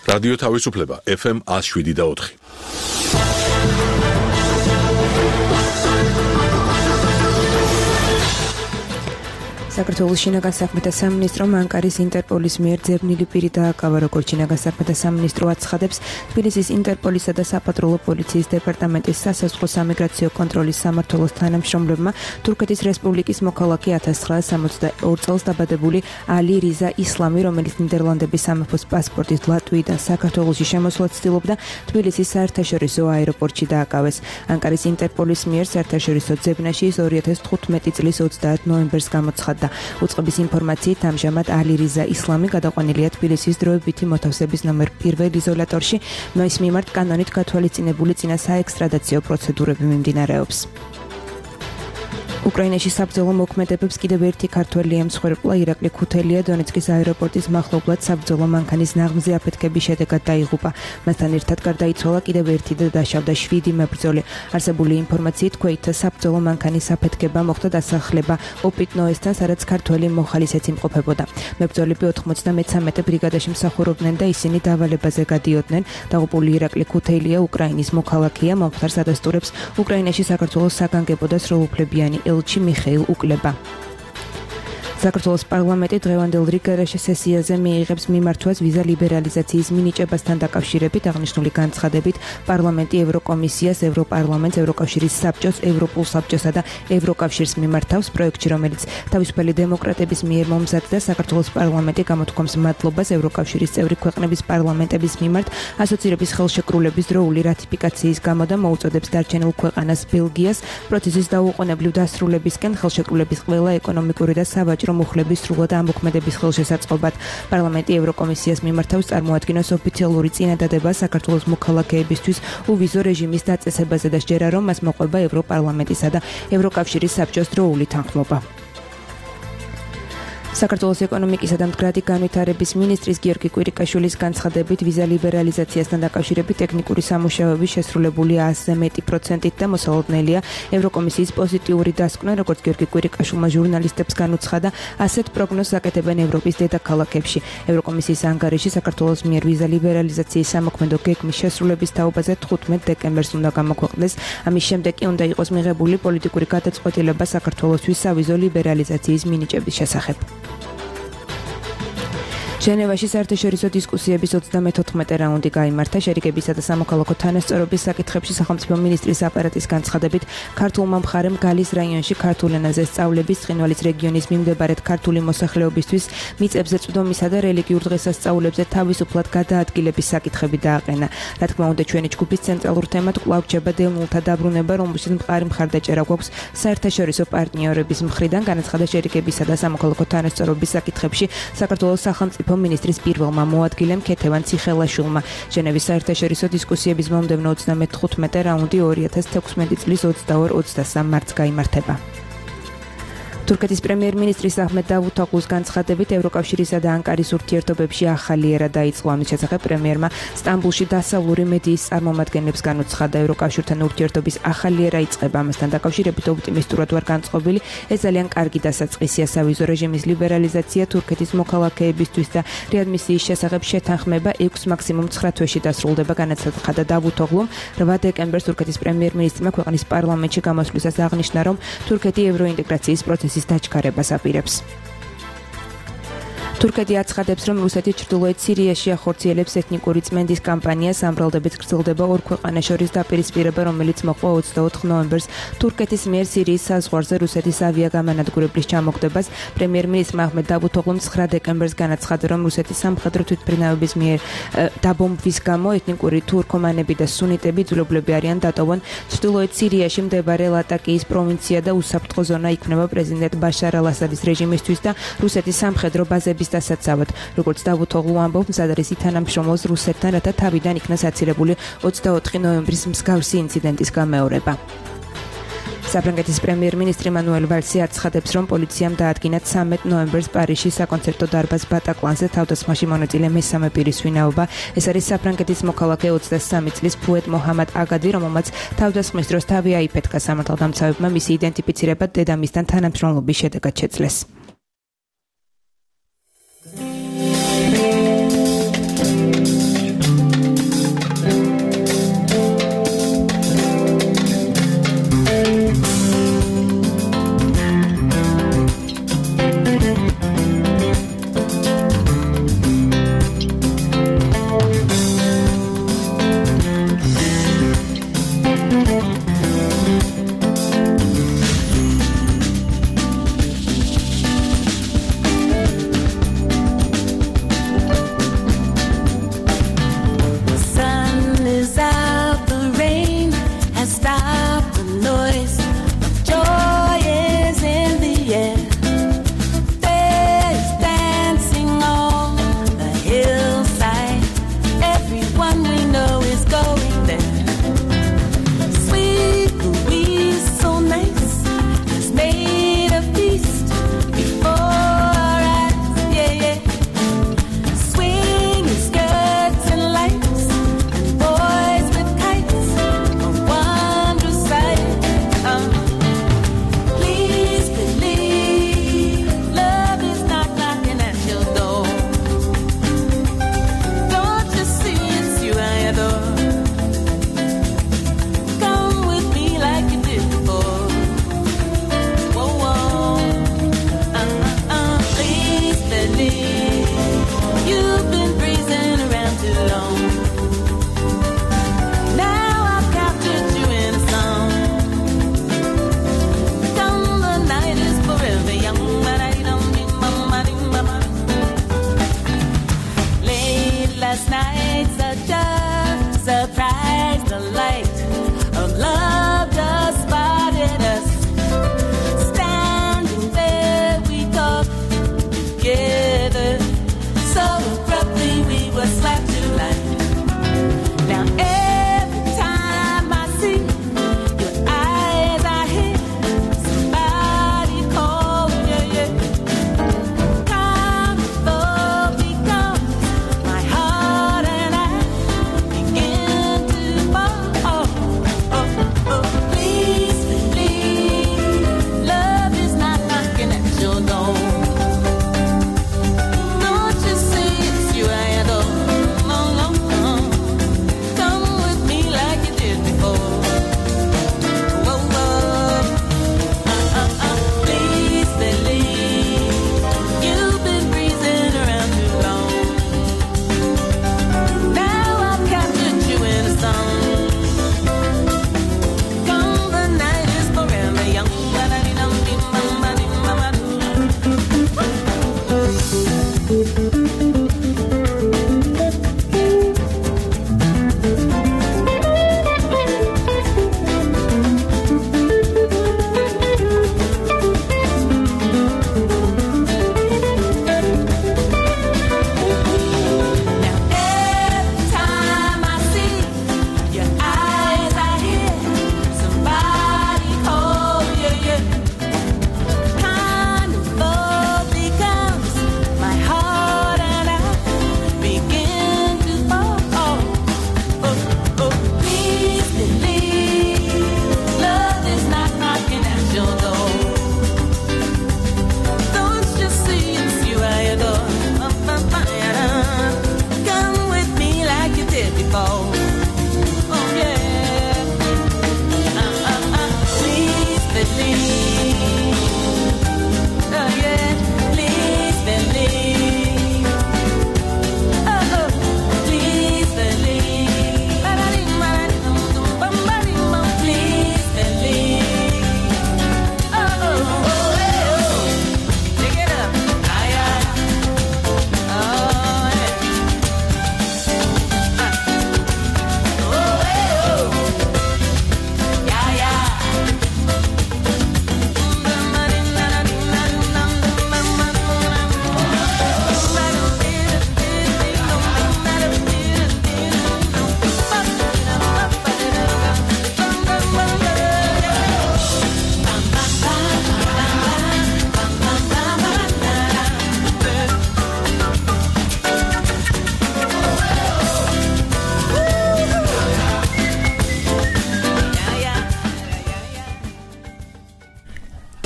რადიო თავისუფლება FM 107.4. საქართველოს შინაგან საქმეთა სამინისტრომ ანკარის ინტერპოლის მიერ ძებნილი პირი დააკავა, როგორც შინაგან საქმეთა სამინისტრო აცხადებს, თბილისის ინტერპოლისა და საპატრულო პოლიციის დეპარტამენტის სასაზღვრო სამიგრაციო კონტროლის სამმართველოს თანამშრომლებმა თურქეთის რესპუბლიკის მოქალაქე 1962 წელს დაბადებული ალი რიზა ისლამი, რომელიც ნიდერლანდების სამეფოს პასპორტით ლატვიიდან საქართველოში შემოსვლას ცდილობდა, თბილისის საერთაშორისო აეროპორტში დააკავეს. ანკარის ინტერპოლის მიერ საერთაშორისო ძებნაში ის 2015 წლის 30 ნოემბერს გამოცხადდა. უწყების ინფორმაციით ამჟამად ალი რიზა ისლამი გადაყვანილია თბილისის დროებითი მოთავსების ნომერ 1 იზოლატორში, მის მიმართ კანონით გათვალისწინებული წინა საექსტრადაციო პროცედურები მიმდინარეობს. უკრაინაში საბრძოლო მოქმედებებს კიდევ ერთი ქართველი ემსხვერპლა ირაკლი ქუთელია დონეცკის აეროპორტის მახლობლად საბრძოლო მანქანის ნაღმზე აფეთქების შედეგად დაიღუპა. მასთან ერთად გარდაიცვალა კიდევ ერთი და დაშავდა 7 მებრძოლი. არსებული ინფორმაციით ქვეითთა საბრძოლო მანქანის აფეთქება მოხდა დასახლება ოპიტნოესთან, სადაც ქართველი მოხალისეც იმყოფებოდა. მებრძოლები 93 ბრიგადაში მსახურობდნენ და ისინი დავალებაზე გადიოდნენ. დაღუპული ირაკლი ქუთელია უკრაინის მოქალაქეა, მომხდარს ადასტურებს უკრაინაში საქართველოს საგანგებო და სრულუფლებიანი ელჩი მიხეილ უკლება. საქართველოს პარლამენტი დღევანდელ რიგარეშე სესიაზე მიიღებს მიმართვას ვიზა ლიბერალიზაციის მინიჭებასთან დაკავშირებით. აღნიშნული განცხადებით პარლამენტი ევროკომისიას, ევროპარლამენტს, ევროკავშირის საბჭოს, ევროპულ საბჭოსა და ევროკავშირს მიმართავს პროექტში, რომელიც თავისუფალი დემოკრატების მიერ მომზადდა. საქართველოს პარლამენტი გამოთქვამს მადლობას ევროკავშირის წევრი ქვეყნების პარლამენტების მიმართ ასოცირების ხელშეკრულების დროული რატიფიკაციის გამო და მოუწოდებს დარჩენილ ქვეყანას ბელგიას პროცესის დაუყოვნებლივ დასრულებისკენ ხელშეკრულების ყველა ეკონომიკური და სავაჭრო მუხლების სრულად ამოქმედების ხელშესაწყობად. პარლამენტი ევროკომისიას მიმართავს წარმოადგინოს ოფიციალური წინადადება საქართველოს მოქალაქეებისთვის უვიზო რეჟიმის დაწესებაზე და სჯერა, რომ მას მოყვება ევროპარლამენტისა და ევროკავშირის საბჭოს დროული თანხმობა. საქართველოს ეკონომიკისა და მდგრადი განვითარების მინისტრის გიორგი კვირიკაშვილის განცხადებით ვიზა ლიბერალიზაციასთან დაკავშირებით ტექნიკური სამუშაოები შესრულებული 100-ზე მეტი პროცენტით და მოსალოდნელია ევროკომისიის პოზიტიური დასკვნა, როგორც გიორგი კვირიკაშვილმა ჟურნალისტებს განუცხადა, ასეთ პროგნოზს აკეთებენ ევროპის დედაქალაქებში. ევროკომისიის ანგარიში საქართველოს მიერ ვიზა ლიბერალიზაციის სამოქმედო გეგმის შესრულების თაობაზე 15 დეკემბერს უნდა გამოქვეყნდეს. ამის შემდეგ კი უნდა იყოს მიღებული პოლიტიკური გადაწყვეტილება საქართველოსთვის სავიზო ლიბერალიზაციის მინიჭების შესახებ. ჟენევაში საერთაშორისო დისკუსიების 34 რაუნდი გაიმართა. შერიგებისა და სამოქალაქო თანასწორობის საკითხებში სახელმწიფო მინისტრის აპარატის განცხადებით, ქართულმა მხარემ გალის რაიონში ქართულ ენაზე სწავლების, ცხინვალის რეგიონის მიმდებარედ ქართული მოსახლეობისთვის მიწებზე წვდომისა და რელიგიურ დღესასწაულებზე თავისუფლად გადაადგილების საკითხები დააყენა. რა თქმა უნდა, ჩვენი ჯგუფის ცენტრალურ თემად კვლავ რჩება დევნილთა დაბრუნება, რომელშიც მყარი მხარდაჭერა გვაქვს საერთაშორისო პარტნიორების მხრიდან. განაცხადა შერიგებისა და სამოქალაქო თანასწორობის საკითხებში საქართველოს სახელმწიფო მინისტრის პირველმა მოადგილემ ქეთევან ციხელაშვილმა. ჟენევის საერთაშორისო დისკუსიების მომდევნო 35 რაუნდი 2016 წლის 22-23 მარტს გაიმართება. თურქეთის პრემიერ-მინისტრის აჰმედ დავუთოღლუს განცხადებით ევროკავშირისა და ანკარის ურთიერთობებში ახალი ერა დაიწყო. ამის შესახებ პრემიერმა სტამბულში დასავლური მედიის წარმომადგენლებს განუცხადა, ევროკავშირთან ურთიერთობის ახალი ერა იწყება. ამასთან დაკავშირებით ოპტიმისტურად ვარ განწყობილი, ეს ძალიან კარგი დასაწყისია. სავიზო რეჟიმის ლიბერალიზაცია თურქეთის მოქალაქეებისთვის და რეადმისიის შესახებ შეთანხმება 6 მაქსიმუმ 9 თვეში დასრულდება, განაცხადა დავუთოღლუმ. 8 დეკემბერს თურქეთის პრემიერ-მინისტრმა ქვეყნის პარლამენტში გამოსვლისას აღნიშნა, რომ თურქეთი ევროინტეგრაციის პროცესის დაჩქარებას აპირებს. თურქეთი აცხადებს, რომ რუსეთი ჩრდილოეთ სირიაში ახორციელებს ეთნიკური წმენდის კამპანიას. ამბრალდებით გრძელდება ორ ქვეყანას შორის დაპირისპირება, რომელიც მოყვა 24 ნოემბერს თურქეთის მიერ სირიის საზღვარზე რუსეთის ავიაგამანადგურებლის ჩამოგდებას. პრემიერ-მინისტრმა აჰმედ დავუთოღლუმ 9 დეკემბერს განაცხადა, რომ რუსეთის სამხედრო თვითმფრინავების მიერ დაბომბვის გამო ეთნიკური თურქომანები და სუნიტები ძვლებულები არიან დატოვონ ჩრდილოეთ სირიაში მდებარე ლატაკიის პროვინცია და უსაფრთხო ზონა იქნება პრეზიდენტ ბაშარ ალ-ასადის რეჟიმისთვის და რუსეთის სამხედრო ბაზების დასაცავად. როგორც დავუთოღლუ ამბობს, მზად არის ითანამშრომლოს რუსეთთან, რათა თავიდან იქნა საცილებული 24 ნოემბრის მსგავსი ინციდენტის გამეორება. საფრანგეთის პრემიერ-მინისტრი მანუელ ვალსი აცხადებს, რომ პოლიციამ დაადგინა 13 ნოემბერს პარიზში საკონცერტო დარბაზ ბატაკლანზე თავდასხმაში მონაწილე მესამე პირის ვინაობა. ეს არის საფრანგეთის მოქალაქე 23 წლის ფუეთ მოჰამად აგადი, რომელმაც თავდასხმის დროს თავი აიფეთქა. სამართალდამცავებმა მისი იდენტიფიცირება დედამისთან თანამშრომლობის შედეგად შეძლეს.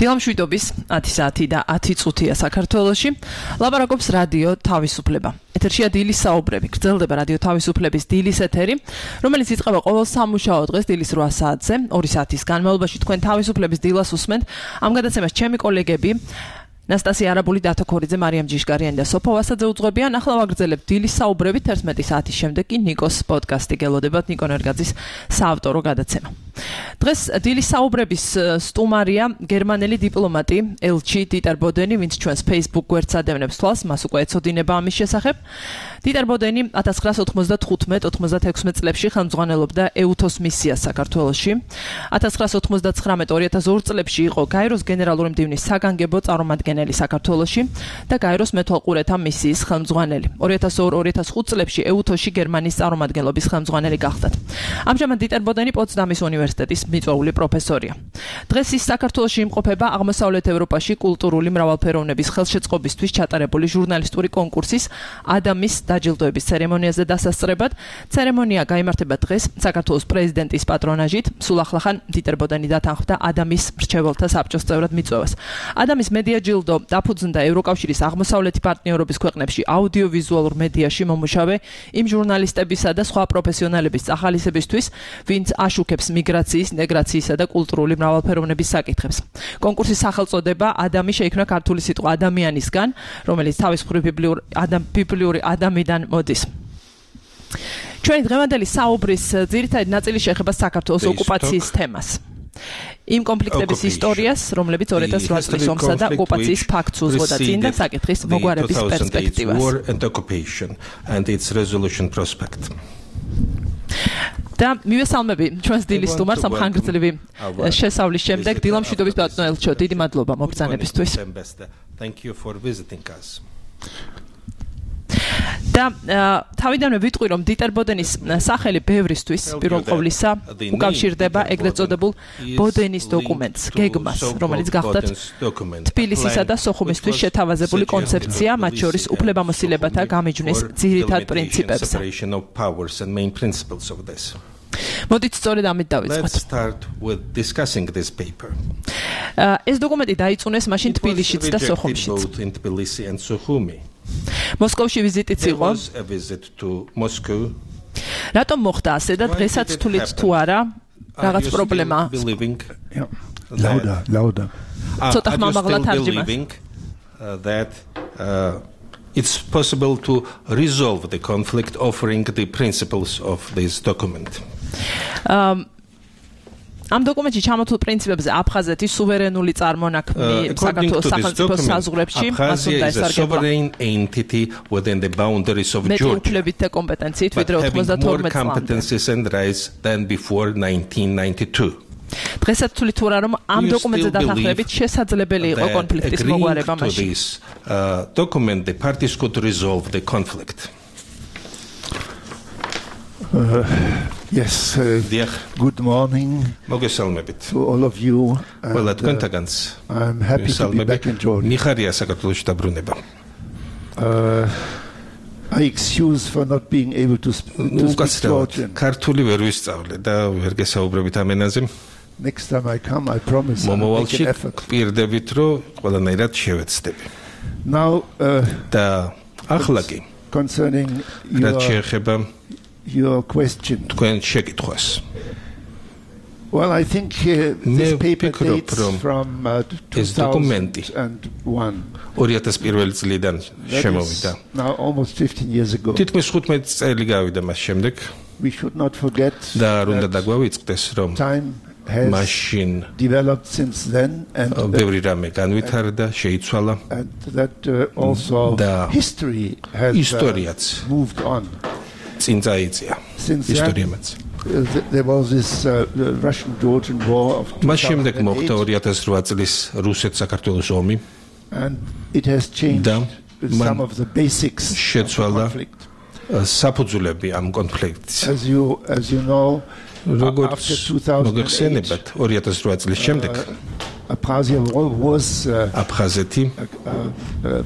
დილამშვიდობის 10 საათი და 10 წუთია საქართველოში. ლაპარაკობს რადიო თავისუფლება. ეთერშია დილის საუბრები. გრძელდება რადიო თავისუფლების დილის ეთერი, რომელიც იწყება ყოველ სამუშაო დღეს დილის 8 საათზე. 2 საათის განმავლობაში თქვენ თავისუფლების დილას უსმენთ. ამ გადაცემას ჩემი კოლეგები ნასტასია არაბული, დათო ქორიძე, მარიამ ჯიშკარიანი და სოფო ვასაძე უძღვებიან. ახლა ვაგრძელებთ დილის საუბრებით 11 საათის შემდეგ კი ნიკოს პოდკასტი გელოდებათ, ნიკო ნერგაძის საავტორო გადაცემა. დღეს დილის საუბრების სტუმარია გერმანელი დიპლომატი ელჩი დიტერ ბოდენი, ვინც ჩვენს Facebook გვერდს ადევნებს თვალს, მას უკვე ეცოდინება ამის შესახებ. დიტერ ბოდენი 1995-96 წლებში ხელმძღვანელობდა EUTOS მისიას საქართველოში. 1999-2002 წლებში იყო გაეროს გენერალური მდივნის საგანგებო წარმომადგენელი საქართველოში და გაეროს მეთვალყურეთა მისიის ხელმძღვანელი. 2002-2005 წლებში EUTOS-ში გერმანიის წარმომადგენლობის ხელმძღვანელი გახდათ. ამჟამად დიტერ ბოდენი პოცდამის უნივერსიტეტის მიწვეული პროფესორია. დღეს ის საქართველოში იმყოფება აღმოსავლეთ ევროპაში კულტურული მრავალფეროვნების ხელშეწყობისთვის ჩატარებული ჟურნალისტური კონკურსის ადამის დაჯილდოების ცერემონიაზე დასასწრებად. ცერემონია გაიმართება დღეს საქართველოს პრეზიდენტის პატრონაჟით. სულ ახლახან დიტერ ბოდენი დათანხმდა ადამის მრჩეველთა საბჭოს წევრად მიწვევას. ადამის მედია ჯილდო დაფუძნდა ევროკავშირის აღმოსავლეთი პარტნიორობის ქვეყნებში აუდიოვიზუალურ მედიაში მომუშავე იმ ჟურნალისტებისა და სხვა პროფესიონალების წახალისებისთვის, ვინც აშუქებს მიგრაციის, ინტეგრაციისა და კულტურული მრავალფეროვნების საკითხებს. კონკურსის სახელწოდება ადამი შეიქმნა ქართული სიტყვა ადამიანისგან, რომელიც თავისუფლი ბიბლიური ადამიდან მოდის. ჩვენი დღევანდელი საუბრის ძირითადი ნაწილი შეეხება საქართველოს ოკუპაციის თემას. იმ კონფლიქტების ისტორიას, რომლებიც 2008 წლის ომსა და ოკუპაციის ფაქტს უძღვოდა წინ და საკითხის მოგვარების პერსპექტივას. და მივესალმები ჩვენს დილის სტუმარს ამ ხანგრძლივი შესავლის შემდეგ. დილამშვიდობის ბატონო ელჩო, დიდი მადლობა მობრძანებისთვის. და თავიდანვე ვიტყვი, რომ დიტერ ბოდენის სახელი ბევრისთვის პირველ ყოვლისა უკავშირდება ეგრეთ წოდებულ ბოდენის დოკუმენტს, გეგმას, რომელიც გახდათ თბილისისა და სოხუმისთვის შეთავაზებული კონცეფცია, მათ შორის უფლებამოსილებათა გამიჯვნის ძირითად პრინციპებზე. მოდით სწორედ ამით დავიწყოთ. Let's start with discussing this paper. ეს დოკუმენტი დაიწუნეს მაშინ თბილისშიც და სოხუმშიც. Both in Tbilisi and Sukhumi. მოსკოვში ვიზიტიც There იყო. was a visit to Moscow. რატომ მოხდა ასე და დღესაც თulit თუ არა რაღაც პრობლემა? Lauda. ცოტა ხმამაღლა თარჯიმა. That it's possible to resolve the conflict offering the principles of this document. ამ დოკუმენტში ჩამოთვლილ პრინციპებზე აფხაზეთის სუვერენული წარმონაქმნი საქართველოს სახელმწიფოს საზღვრებში მას უნდა ესარგებლა. Sovereign entity within the boundaries of Georgia. მეტი და კომპეტენციით ვიდრე 92 წლამდე. Competencies and rights than before 1992. დღესაც თulit თუ არა რომ ამ დოკუმენტზე დათანხმებით შესაძლებელი იყო კონფლიქტის მოგვარება მაშინ. This document the parties could resolve the conflict. Yes, good morning to all of you. I'm happy to be back in Georgia. I excuse for not being able to speak Georgian. Next time I come, I promise I'll make an effort. Now, concerning your question. Well, I think this paper dates from 2001. That is now almost 15 years ago. We should not forget that time has developed since then, and that also history has moved on. Since then, there was this Russian-Georgian war of 2008, and it has changed some of the basics of the conflict. As you know, after 2008, Abkhazia was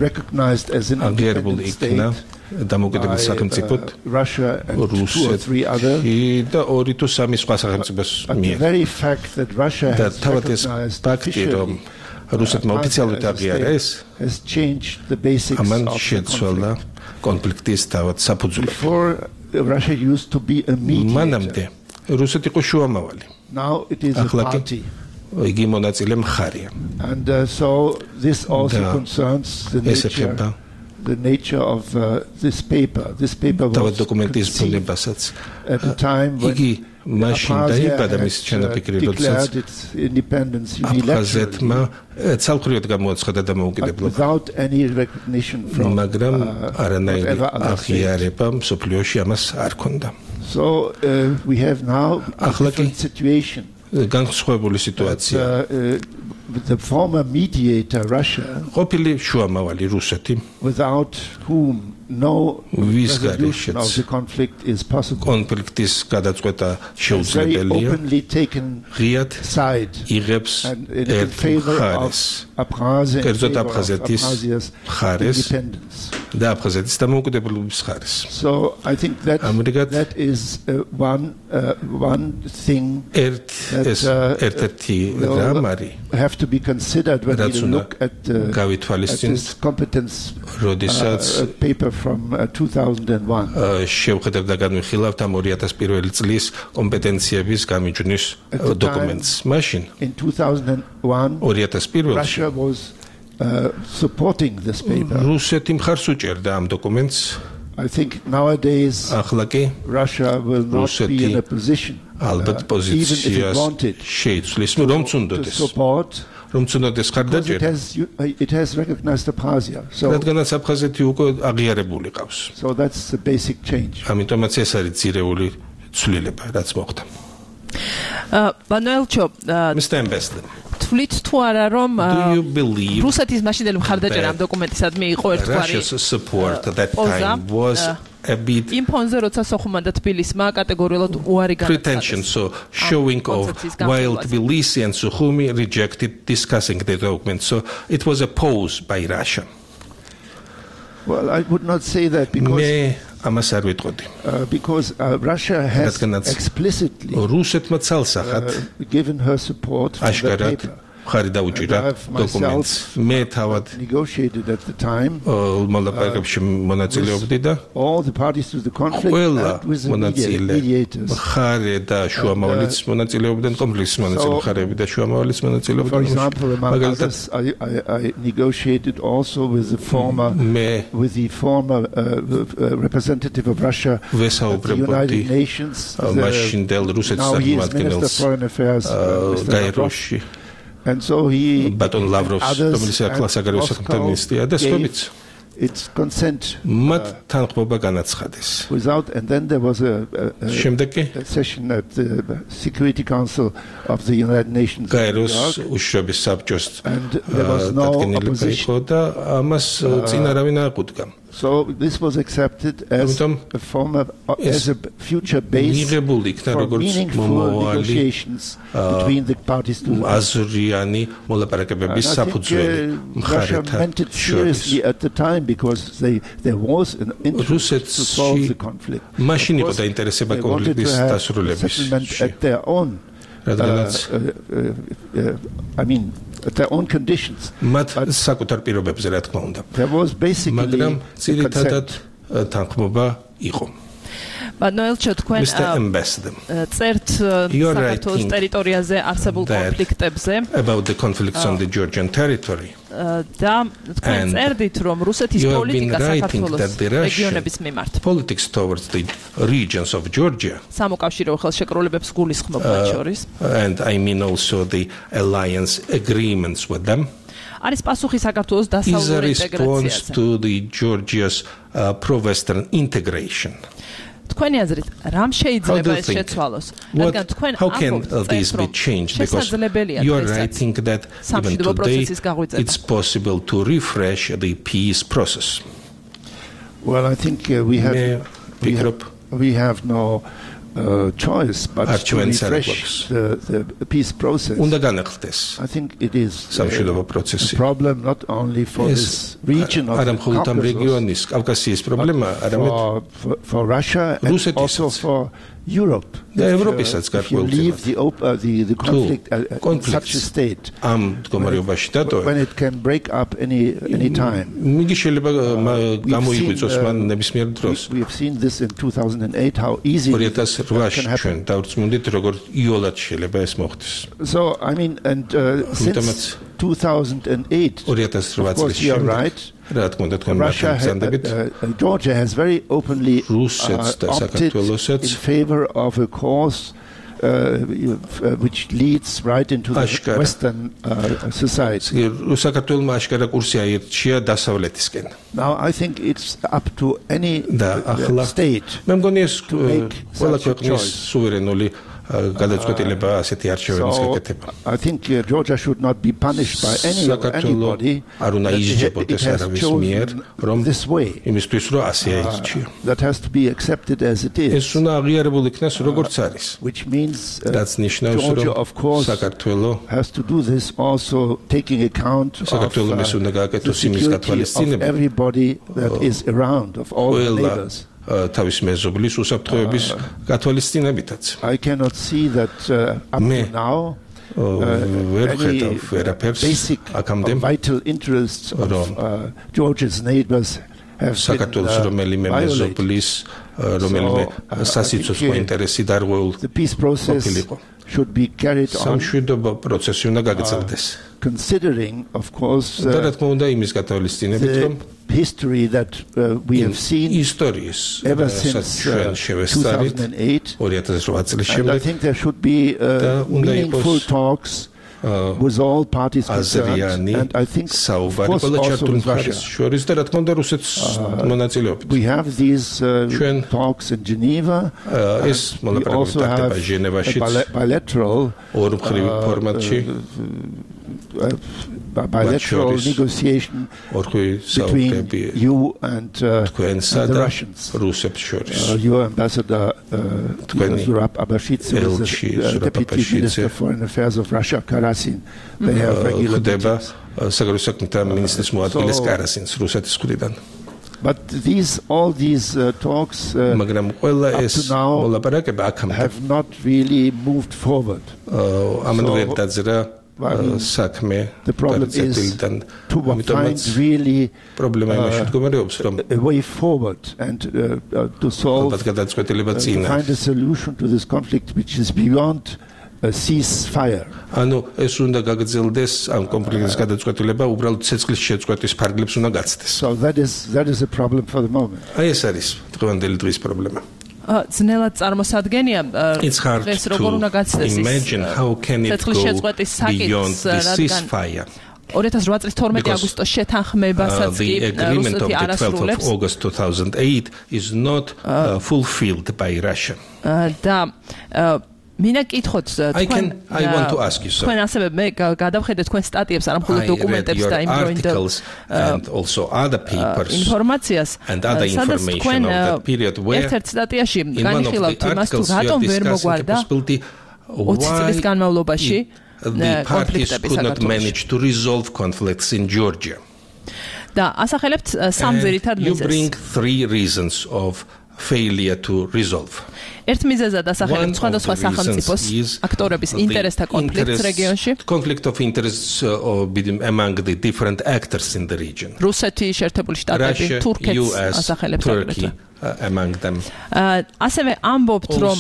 recognized as an independent state by Russia and 2 or 3 others. But the very fact that Russia has recognized officially has changed the basics of the conflict. Before, Russia used to be a mediator. Now it is a party. And so this also concerns the nature of this paper. This paper was conceived at a time when Abkhazia had declared its independence unilaterally, but without any recognition from whatever other state. So we have now a different situation. The former mediator, Russia, without whom no resolution of the conflict is possible, has very openly taken side and in favor of Abkhazia, in favor of Abkhazia's independence. So I think that is one thing that will have to be considered when we look at this competence paper from 2001. In 2001, Russia was supporting this paper. I think nowadays Russia will not be in a position, even if it wanted, to support, because it has recognized Abkhazia. So that's the basic change. Mr. Ambassador, თulit თუ არა რომ რუსეთის მაშინდელი მხარდაჭერა ამ დოკუმენტისადმი იყო ერთგვარი Russia's support at that time was a bit იმ ფონზე როცა სოხუმმა და თბილისმა კატეგორიულად უარი განაცხადეს. pretension, so showing of while Tbilisi and Sukhumi rejected discussing the document, so it was a pose by Russia. Well, I would not say that, because ამას არ ვიტყოდი. Because Russia has explicitly given her support for the paper. ხარი დაუჭირა დოკუმენტს. მე თავად negotiated at the time. მოლაპარაკებში მონაწილეობდი და all the parties to the conflict with the mediators. ხარი და შუამავლიც მონაწილეობდნენ კონფლიქტის მონაწილეები და შუამავლიც მონაწილეობდნენ. For example, among others, I negotiated also with the former representative of Russia at the United Nations. მაშინდელ რუსეთის administrator გაეროში. And so he Baton Lavrovs, რომელიც ახლა საგარეო საქმეთა მინისტრია და სხვაებიც its consent without, and then there was a session at the Security Council of the United Nations and there was no opposition. So this was accepted as a future base for meaningful negotiations between the parties to the Russia meant it seriously at the time because there was an interest to solve the conflict. They wanted to have settlement at their own at their own conditions. There was basically consent. Noelcho, თქვენ წერთ საქართველოს ტერიტორიაზე არსებულ კონფლიქტებზე about the conflicts on the Georgian territory. და თქვენ წერდით რომ რუსეთის პოლიტიკა საქართველოს რეგიონების მიმართ politics towards the regions of Georgia სამოკავშირეო ხელშეკრულებებს გულისხმობ მათ შორის and I mean also the alliance agreements with them. არის პასუხი საქართველოს დასავლური ინტეგრაციაზე to the Georgia's pro-western integration. თქვენი აზრით, რამ შეიძლება ეს შეცვალოს? რადგან თქვენ how can this be changed? Because you are writing that even today it's possible to refresh the peace process. Well, I think we have no choice but to refresh the peace process. I think it is a problem not only for this region of the Caucasus, for Russia and also for Europe. If you leave the conflict in such a state, when it can break up any time. We have seen this in 2008, how easy it can happen. So, I mean, and since 2008, of course, you are right. Georgia has very openly opted in favor of a course which leads right into the Western society. Now, I think it's up to any state to make such a choice. I think Georgia should not be punished by anybody it has chosen this way. That has to be accepted as it is. Which means Georgia, of course, has to do this also taking account of the security of everybody that is around, of all the neighbors. I cannot see that up to now any basic vital interests of Georgia's neighbors have been violated. The peace process should be carried on, considering, of course, the history that we have seen ever since 2008. And I think there should be meaningful talks with all parties concerned, and I think, of course, also with Russia. We have these talks in Geneva. We also have a bilateral negotiation between you and the Russians. Your ambassador, Zurab Abashidze, the Deputy Minister of Foreign Affairs of Russia, Karasin, they have regular meetings. But all these talks up to now have not really moved forward. The problem is to find really a way forward and to solve, find a solution to this conflict which is beyond a ceasefire. So that is a problem for the moment. Ძნელად წარმოსადგენია დღეს როგორ უნდა გაცდეს beyond the ceasefire. 2008 წლის 12 აგვისტოს შეთანხმებასაც კი რუსეთი არასრულებს. August 2008 is not fulfilled by Russia. და მინდა კითხოთ თქვენ I want to ask you so. თქვენ ასევე მე გადავხედეთ თქვენ სტატიებს არა მხოლოდ დოკუმენტებს და articles and also other papers ინფორმაციას and other information of that period where ერთ სტატიაში განიხილავთ იმას თუ რატომ ვერ მოგვარდა 20 წლის განმავლობაში the parties could not manage to resolve conflicts in Georgia. და ასახელებთ სამ ძირითად მიზეზს. You bring 3 reasons of failure to resolve. ერთ მიზეზად ასახელებთ სხვადასხვა სახელმწიფოს აქტორების ინტერესთა კონფლიქტს რეგიონში. Conflict of interests among the different actors in the region. რუსეთი, შეერთებული შტატები, თურქეთს ასახელებთ Turkey among them. ასევე ამბობთ რომ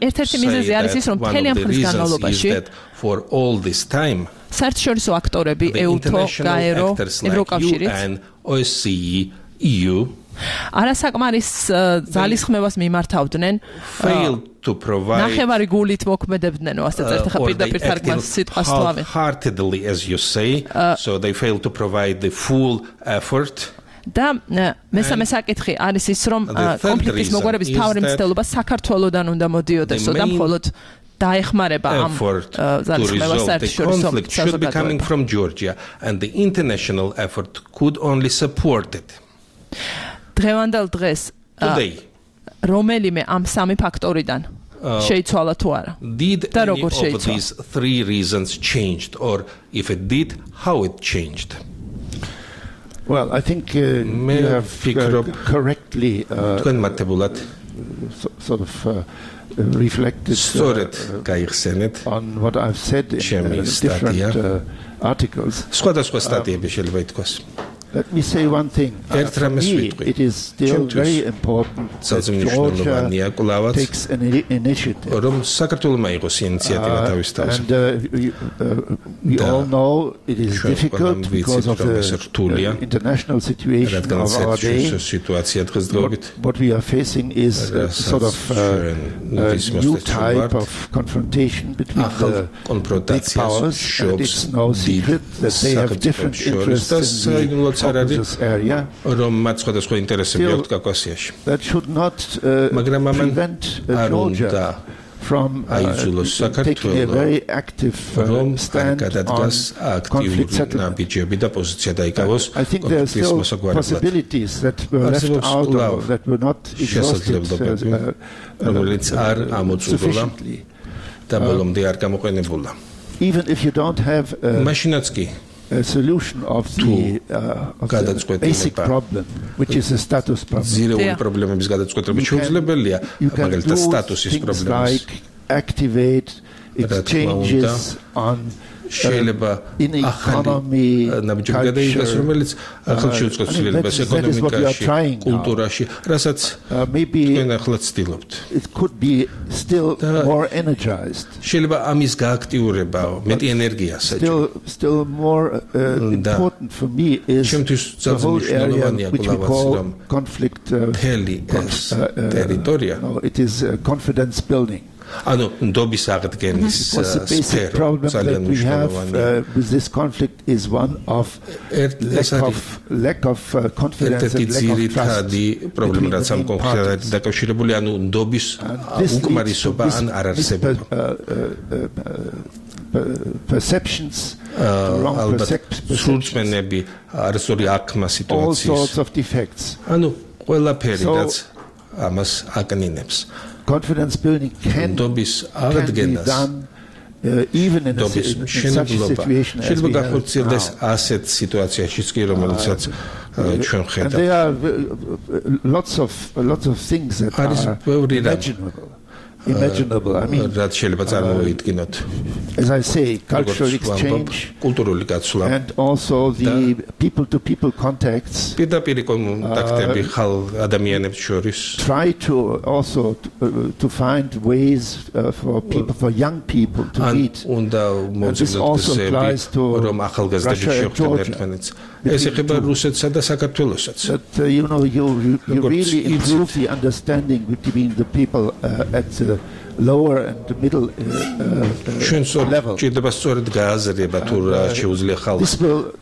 ერთ-ერთი მიზეზი არის ის რომ მთელი ამ ხნის განმავლობაში for all this time საერთაშორისო აქტორები EUTO, GAERO, ევროკავშირი and OSCE, EU არასაკმარის ძალისხმევას მიმართავდნენ ნახევარი გულით მოქმედებდნენ ასე წერთ ხა პირდაპირ თარგმანს სიტყვას სლავენ heartedly as you say so they fail to provide the full effort და მესამე საკითხი არის ის რომ კონფლიქტის მოგვარების თავი მცდელობა საქართველოსდან უნდა მოდიოდესო და მხოლოდ დაეხმარება ამ ძალისხმევას საერთაშორისო should be coming from Georgia and the international effort could only support it. დღევანდელ დღეს რომელიმე ამ სამი ფაქტორიდან შეიცვალა თუ არა და როგორ შეიცვალა? Did any of these 3 reasons changed or if it did how it changed? Well, I think you have correctly sort of reflected on what I've said in different articles. Let me say one thing. For me, it is still very important that Georgia takes an initiative. And we all know it is difficult because of the international situation of our day. What we are facing is sort of a new type of confrontation between the big powers. And it's no secret that they have different interests in the area. Still, that should not prevent Georgia from taking a very active stand on conflict settlement. I think there are still possibilities that were left out or that were not exhausted sufficiently. Even if you don't have a solution of the basic problem, which is a status problem. You can do things like activate exchanges on in economy, culture. That is what we are trying now. Maybe it could be still more energized. Still more important for me is the whole area which we call conflict. It is confidence building. This was the basic problem that we have with this conflict is one of lack of confidence and lack of trust between the parties. Perceptions, wrong perceptions, all sorts of defects. Confidence building can be done even in such a situation as we have now. ჩვენ ხედავთ. There are lots of things that are imaginable. I mean, as I say, cultural exchange and also the people-to-people contacts try to also to find ways for young people to meet. And this also applies to Russia and Georgia. That you really improve the understanding between the people at the lower and the middle level.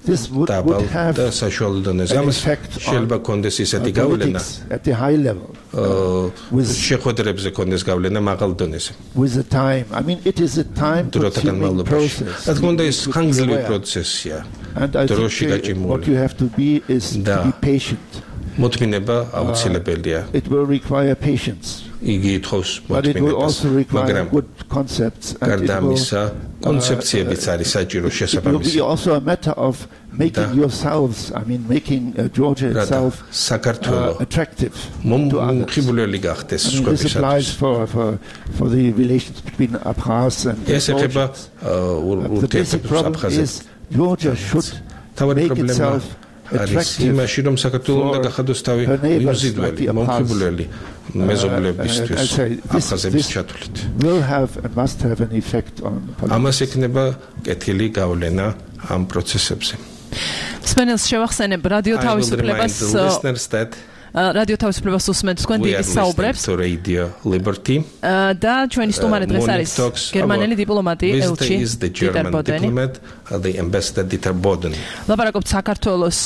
This would have an effect on politics at the high level. With the time. I mean, it is a time-consuming process. And I think what you have to be is to be patient. It will require patience. But it will also require good concepts. And it will be also a matter of making yourselves, I mean, making Georgia itself attractive to others. I mean, this applies for the relations between Abkhaz and Georgians. The basic problem is Georgia should make itself attractive for her neighbors like the Abkhaz. This will have and must have an effect on politics. სპენელს შევახსენებ რადიო თავისუფლებას რადიო თავისუფლებას უსმენთ თქვენ დიდი საუბრებს და ჩვენი სტუმარი დღეს არის გერმანელი დიპლომატი ელჩი დიტერ ბოდენი. ლაპარაკობთ საქართველოს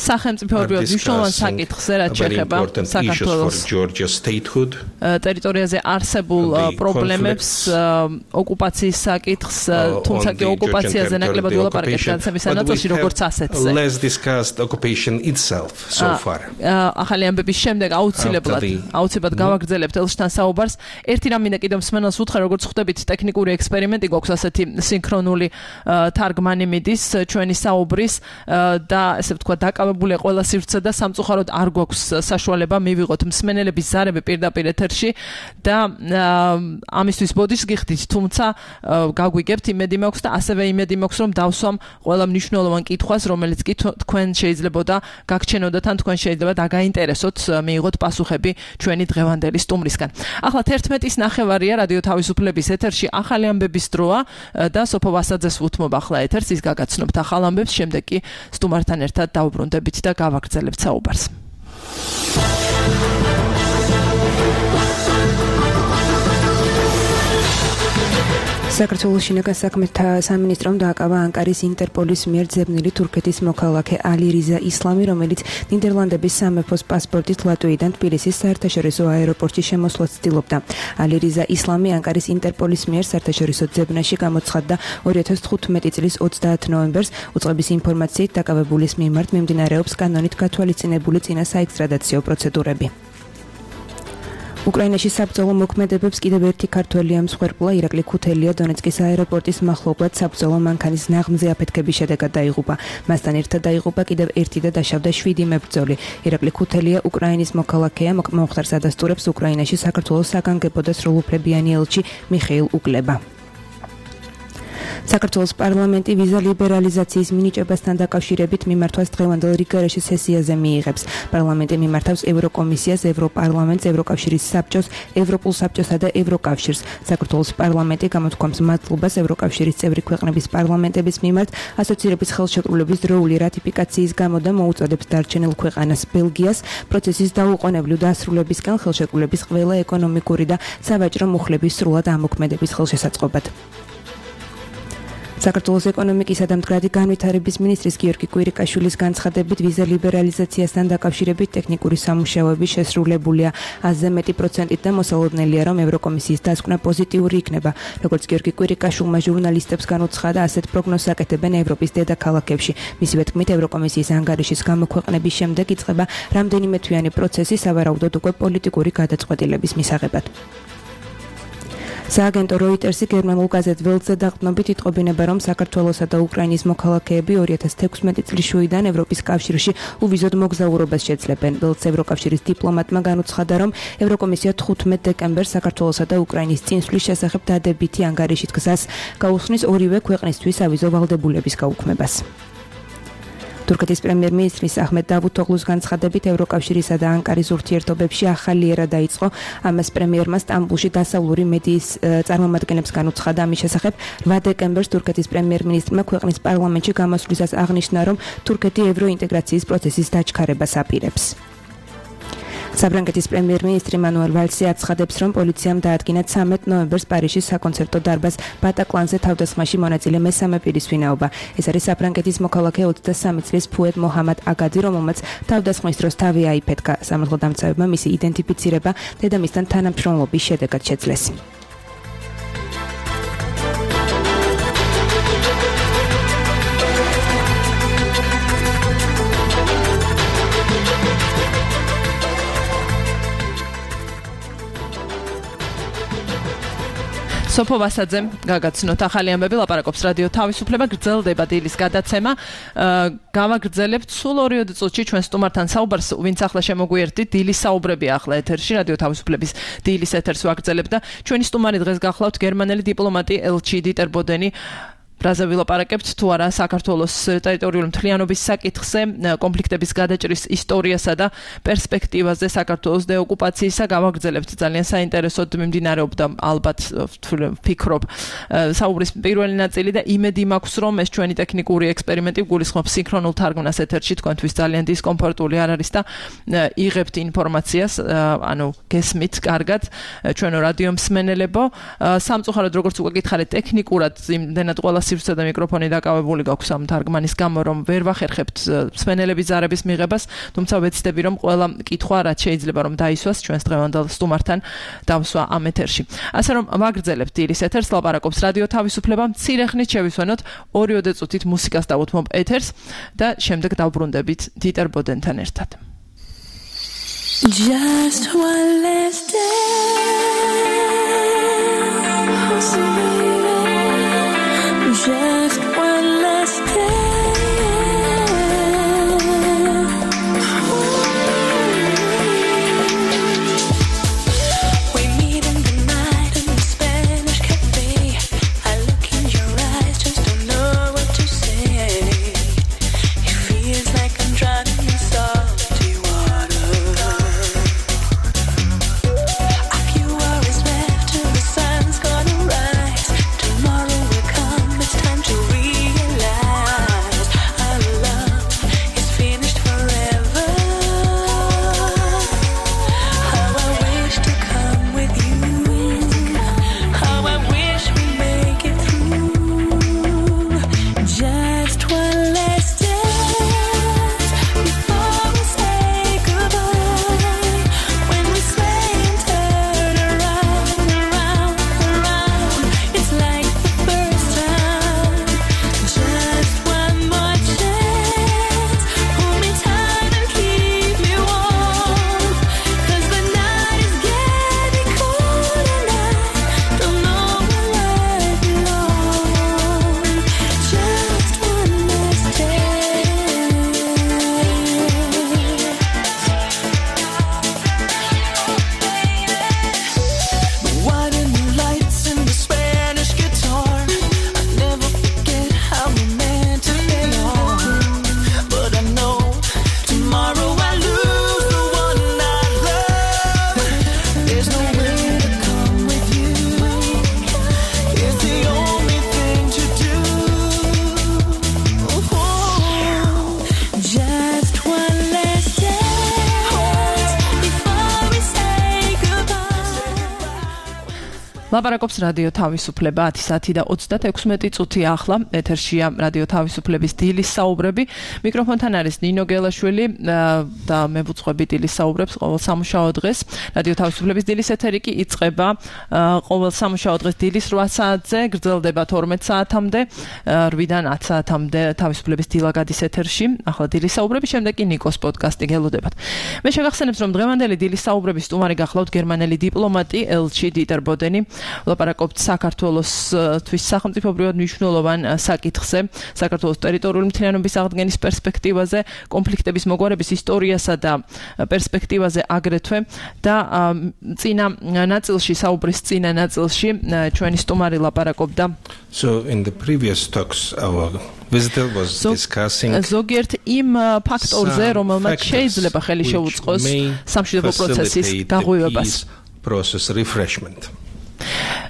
სახელმწიფოებრივად მნიშვნელოვან საკითხზე, რაც შეეხება საქართველოს ტერიტორიაზე არსებულ პრობლემებს, ოკუპაციის საკითხს, თუმცა კი ოკუპაციაზე ნაკლებად ვილაპარაკებთ განაცემის ნაწილში როგორც ასეთზე. Let's discuss the occupation itself so far. ახალი ამბების შემდეგ აუცილებლად გავაგრძელებთ ელჩთან საუბარს. ერთი რამ მინდა კიდევ მსმენელს უთხრა, როგორც ხვდებით, ტექნიკური ექსპერიმენტი გვაქვს ასეთი სინქრონული თარგმანი მიდის ჩვენი საუბრის და ესე ვთქვა დაკავებული ყველა სივრცე და სამწუხაროდ არ გვაქვს საშუალება მივიღოთ მსმენელების ზარები პირდაპირ ეთერში და ამისთვის ბოდიშს გიხდით, თუმცა გაგვიგებთ, იმედი მაქვს და ასევე იმედი მაქვს, რომ დავსვამ ყველა მნიშვნელოვან კითხვას, რომელიც კი თქვენ შეიძლებოდა გაგჩენოდათ ან თქვენ შეიძლება დაგაინტერესოთ, მიიღოთ პასუხები ჩვენი დღევანდელი სტუმრისგან. ახლა 11:09 რადიო თავისუფლების ეთერში ახალი ამბების დროა და სოფო ვასაძეს უთმობ ახლა ეთერს, ის გაგაცნობთ ახალ ამბებს, შემდეგ კი სტუმართან ერთად დავუბრუნდებით და გავაგრძელებთ საუბარს. საქართველოს შინაგან საქმეთა სამინისტრომ დააკავა ანკარის ინტერპოლის მიერ ძებნილი თურქეთის მოქალაქე ალი რიზა ისლამი, რომელიც ნიდერლანდების სამეფოს პასპორტით ლატვიიდან თბილისის საერთაშორისო აეროპორტში შემოსვლას ცდილობდა. ალი რიზა ისლამი ანკარის ინტერპოლის მიერ საერთაშორისო ძებნაში გამოცხადდა 2015 წლის 30 ნოემბერს. უწყების ინფორმაციით დაკავებულის მიმართ მიმდინარეობს კანონით გათვალისწინებული წინა საექსტრადაციო პროცედურები. უკრაინაში საბრძოლო მოქმედებებს კიდევ ერთი ქართველი ამსხვერპლა ირაკლი ქუთელია დონეცკის აეროპორტის მახლობლად საბრძოლო მანქანის ნაღმზე აფეთქების შედეგად დაიღუპა. მასთან ერთად დაიღუპა კიდევ ერთი და დაშავდა 7 მებრძოლი. ირაკლი ქუთელია უკრაინის მოქალაქეა, მომხდარს ადასტურებს უკრაინაში საქართველოს საგანგებო და სრულუფლებიანი ელჩი მიხეილ უკლება. საქართველოს პარლამენტი ვიზა ლიბერალიზაციის მინიჭებასთან დაკავშირებით მიმართვას დღევანდელ რიგარეში სესიაზე მიიღებს. პარლამენტი მიმართავს ევროკომისიას, ევროპარლამენტს, ევროკავშირის საბჭოს, ევროპულ საბჭოსა და ევროკავშირს. საქართველოს პარლამენტი გამოთქვამს მადლობას ევროკავშირის წევრი ქვეყნების პარლამენტების მიმართ ასოცირების ხელშეკრულების დროული რატიფიკაციის გამო და მოუწოდებს დარჩენილ ქვეყანას ბელგიას პროცესის დაუყოვნებლივ დასრულებისკენ ხელშეკრულების ყველა ეკონომიკური და სავაჭრო მუხლების სრულად ამოქმედების ხელშესაწყობად. საქართველოს ეკონომიკისა და მდგრადი განვითარების მინისტრის გიორგი კვირიკაშვილის განცხადებით ვიზა ლიბერალიზაციასთან დაკავშირებით ტექნიკური სამუშაოები შესრულებულია 100% და მოსალოდნელია, რომ ევროკომისიის დასკვნა პოზიტიური იქნება. როგორც გიორგი კვირიკაშვილმა ჟურნალისტებს განუცხადა, ასეთ პროგნოზს აკეთებენ ევროპის დედაქალაქებში. მისივე თქმით, ევროკომისიის ანგარიშის გამოქვეყნების შემდეგ იწყება რამდენიმე თვიანი პროცესი, სავარაუდოდ უკვე პოლიტიკური გადაწყვეტილების მისაღებად. სააგენტო როიტერსი გერმანულ გაზეთ ველტზე დაყრდნობით იტყობინება, რომ საქართველოსა და უკრაინის მოქალაქეები 2016 წლის შუიდან ევროპის კავშირში უვიზოდ მოგზაურობას შეძლებენ. ველტს ევროკავშირის დიპლომატმა განუცხადა, რომ ევროკომისია 15 დეკემბერს საქართველოსა და უკრაინის წინსვლის შესახებ დადებითი ანგარიშით გზას გაუსხნის ორივე ქვეყნისთვის ავიზო ვალდებულების გაუქმებას. თურქეთის პრემიერ-მინისტრის აჰმედ დავუთოღლუს განცხადებით ევროკავშირისა და ანკარის ურთიერთობებში ახალი ერა დაიწყო. ამას პრემიერმა სტამბულში დასავლური მედიის წარმომადგენლებს განუცხადა. ამის შესახებ 8 დეკემბერს თურქეთის პრემიერ-მინისტრმა ქვეყნის პარლამენტში გამოსვლისას აღნიშნა, რომ თურქეთი ევროინტეგრაციის პროცესის დაჩქარებას აპირებს. საფრანგეთის პრემიერ-მინისტრი მანუელ ვალსი აცხადებს, რომ პოლიციამ დაადგინა 13 ნოემბერს პარიზის საკონცერტო დარბაზ ბატაკლანზე თავდასხმაში მონაწილე მესამე პირის ვინაობა. ეს არის საფრანგეთის მოქალაქე 23 წლის ფუედ მოჰამად აგადი, რომელმაც თავდასხმის დროს თავი აიფეთქა. სამართლოდამცავებმა მისი იდენტიფიცირება დედამისთან თანამშრომლობის შედეგად შეძლეს. სოფო ვასაძემ გაგაცნოთ ახალი ამბები, ლაპარაკობს რადიო თავისუფლება, გრძელდება დილის გადაცემა. გავაგრძელებთ სულ 2 წუთში ჩვენ სტუმართან საუბარს, ვინც ახლა შემოგვიერთდით, დილის საუბრები ახლა ეთერში, რადიო თავისუფლების დილის ეთერს ვაგრძელებთ და ჩვენი სტუმარი დღეს გახლავთ გერმანელი დიპლომატი ელჩი დიტერ ბოდენი. ბრაზა ვილაპარაკებთ თუ არა საქართველოს ტერიტორიული მთლიანობის საკითხზე, კონფლიქტების გადაჭრის ისტორიასა და პერსპექტივაზე საქართველოს დეოკუპაციისა. გავაგრძელებთ ძალიან საინტერესოდ მიმდინარეობდა ალბათ ვფიქრობ საუბრის პირველი ნაწილი და იმედი მაქვს, რომ ეს ჩვენი ტექნიკური ექსპერიმენტი გულისხმობს სინქრონულ თარგმნას ეთერში, თქვენთვის ძალიან დისკომფორტული არ არის და იღებთ ინფორმაციას, ანუ გესმით კარგად ჩვენო რადიო მსმენელებო. სამწუხაროდ როგორც უკვე გითხარით, ტექნიკურად იმდენად ყველა სივრცე და მიკროფონი დაკავებული გაქვს ამ თარგმანის გამო, რომ ვერ ვახერხებთ მსმენელების ზარების მიღებას, თუმცა ვეცდები, რომ ყველა კითხვა რაც შეიძლება რომ დაისვას ჩვენს დღევანდელ სტუმართან დავსვა ამ ეთერში. ასე რომ ვაგრძელებთ დილის ეთერს, ლაპარაკობს რადიო თავისუფლება. მცირე ხნით შევისვენოთ 2 წუთით მუსიკას დავუთმობ ეთერს და შემდეგ დავბრუნდებით დიტერ ბოდენთან ერთად. Just one last day. Just one last day. We meet in the night in the Spanish cafe. I look in your eyes, just don't know what to say. It feels like I'm drowning in salty water. A few hours left till the sun's gonna rise. Tomorrow will come. It's time to realize our love is finished forever. How I wish to come with you. How I wish we make it through. Just one last dance before we say goodbye. When we sway and turn around, around, around, it's like the first time. Just one more chance. Hold me tight and keep me warm. 'Cause the night is getting cold and I don't know where I belong. Just one last dance. The white and the lights and the Spanish guitar. I never forget how we meant to get on. But I know tomorrow I lose the one I love. There's no way to come with you. It's the only thing to do. Just one last dance before we say goodbye. ლაპარაკობს რადიო თავისუფლება 10 საათი და 36 წუთი ახლა ეთერშია რადიო თავისუფლების დილის საუბრები. მიკროფონთან არის ნინო გელაშვილი და მე ვუძღვები დილის საუბრებს ყოველ სამუშაო დღეს. რადიო თავისუფლების დილის ეთერი კი იწყება ყოველ სამუშაო დღეს დილის 8 საათზე, გრძელდება 12 საათამდე, 8-დან 10 საათამდე თავისუფლების დილა გადის ეთერში. ახლა დილის საუბრები, შემდეგ კი ნიკოს პოდკასტი გელოდებათ. მე შეგახსენებთ, რომ დღევანდელი დილის საუბრების სტუმარი გახლავთ გერმანელი დიპლომატი ელჩი დიტერ ბოდენი. ვლაპარაკობთ საქართველოსთვის სახელმწიფოებრივად მნიშვნელოვან საკითხზე, საქართველოს ტერიტორიული მთლიანობის აღდგენის პერსპექტივაზე, კონფლიქტების მოგვარების ისტორიასა და პერსპექტივაზე აგრეთვე და წინა ნაწილში, საუბრის წინა ნაწილში ჩვენი სტუმარი ლაპარაკობდა. So in the previous talks our visitor was discussing ზოგიერთ იმ ფაქტორზე, რომელმაც შეიძლება ხელი შეუწყოს სამშვიდობო პროცესის გაღვივებას. Process refreshment.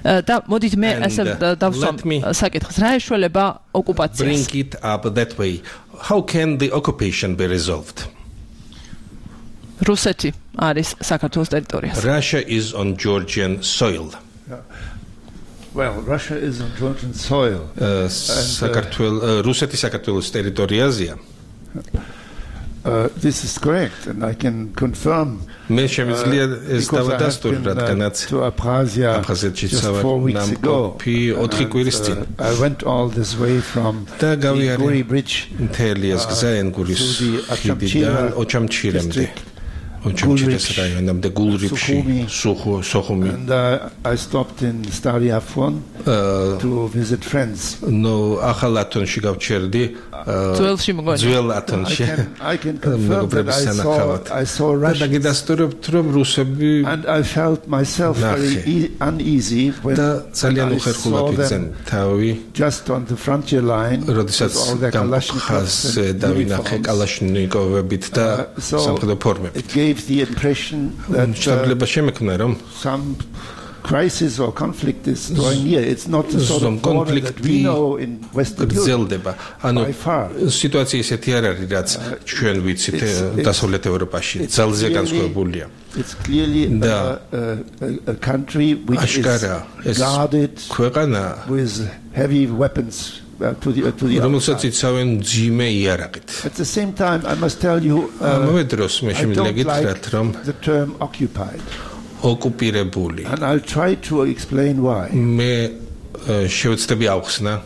და მოდით მე ასე დავსვამ საკითხს, რა ეშველება ოკუპაციას? Bring it up that way. How can the occupation be resolved? რუსეთი არის საქართველოს ტერიტორიაზე. Russia is on Georgian soil. Well, Russia is on Georgian soil. რუსეთი საქართველოს ტერიტორიაზეა. This is correct, and I can confirm. მე შემიძლია ეს დავადასტურო, რადგანაც აფხაზეთში just 4 weeks ago. 4 კვირის წინ. I went all this way from the Guri Bridge მთელი ეს გზა ენგურის ხიდიდან ოჩამჩირემდე. ოჩამჩირეს რაიონამდე გულრიფში, სოხუმი. And I stopped in Stary Afon to visit friends. No, ახალათონში გავჩერდი. ძველში მგონი. ძველ ათონში. I can confirm that I saw Russians. And I felt myself very uneasy when I saw them just on the frontier line with all their Kalashnikovs and uniforms. So it gave the impression that some crisis or conflict is drawing near. It's not the sort of border that we know in Western Europe. By far. Სიტუაცია ისეთი არ არის, რაც ჩვენ ვიცით დასავლეთ ევროპაში. ძალზე განსხვავებულია. It's clearly a country which is guarded with heavy weapons to the At the same time, I must tell you, I don't like the term occupied. ოკუპირებული. And I'll try to explain why. მე შევეცდები ავხსნა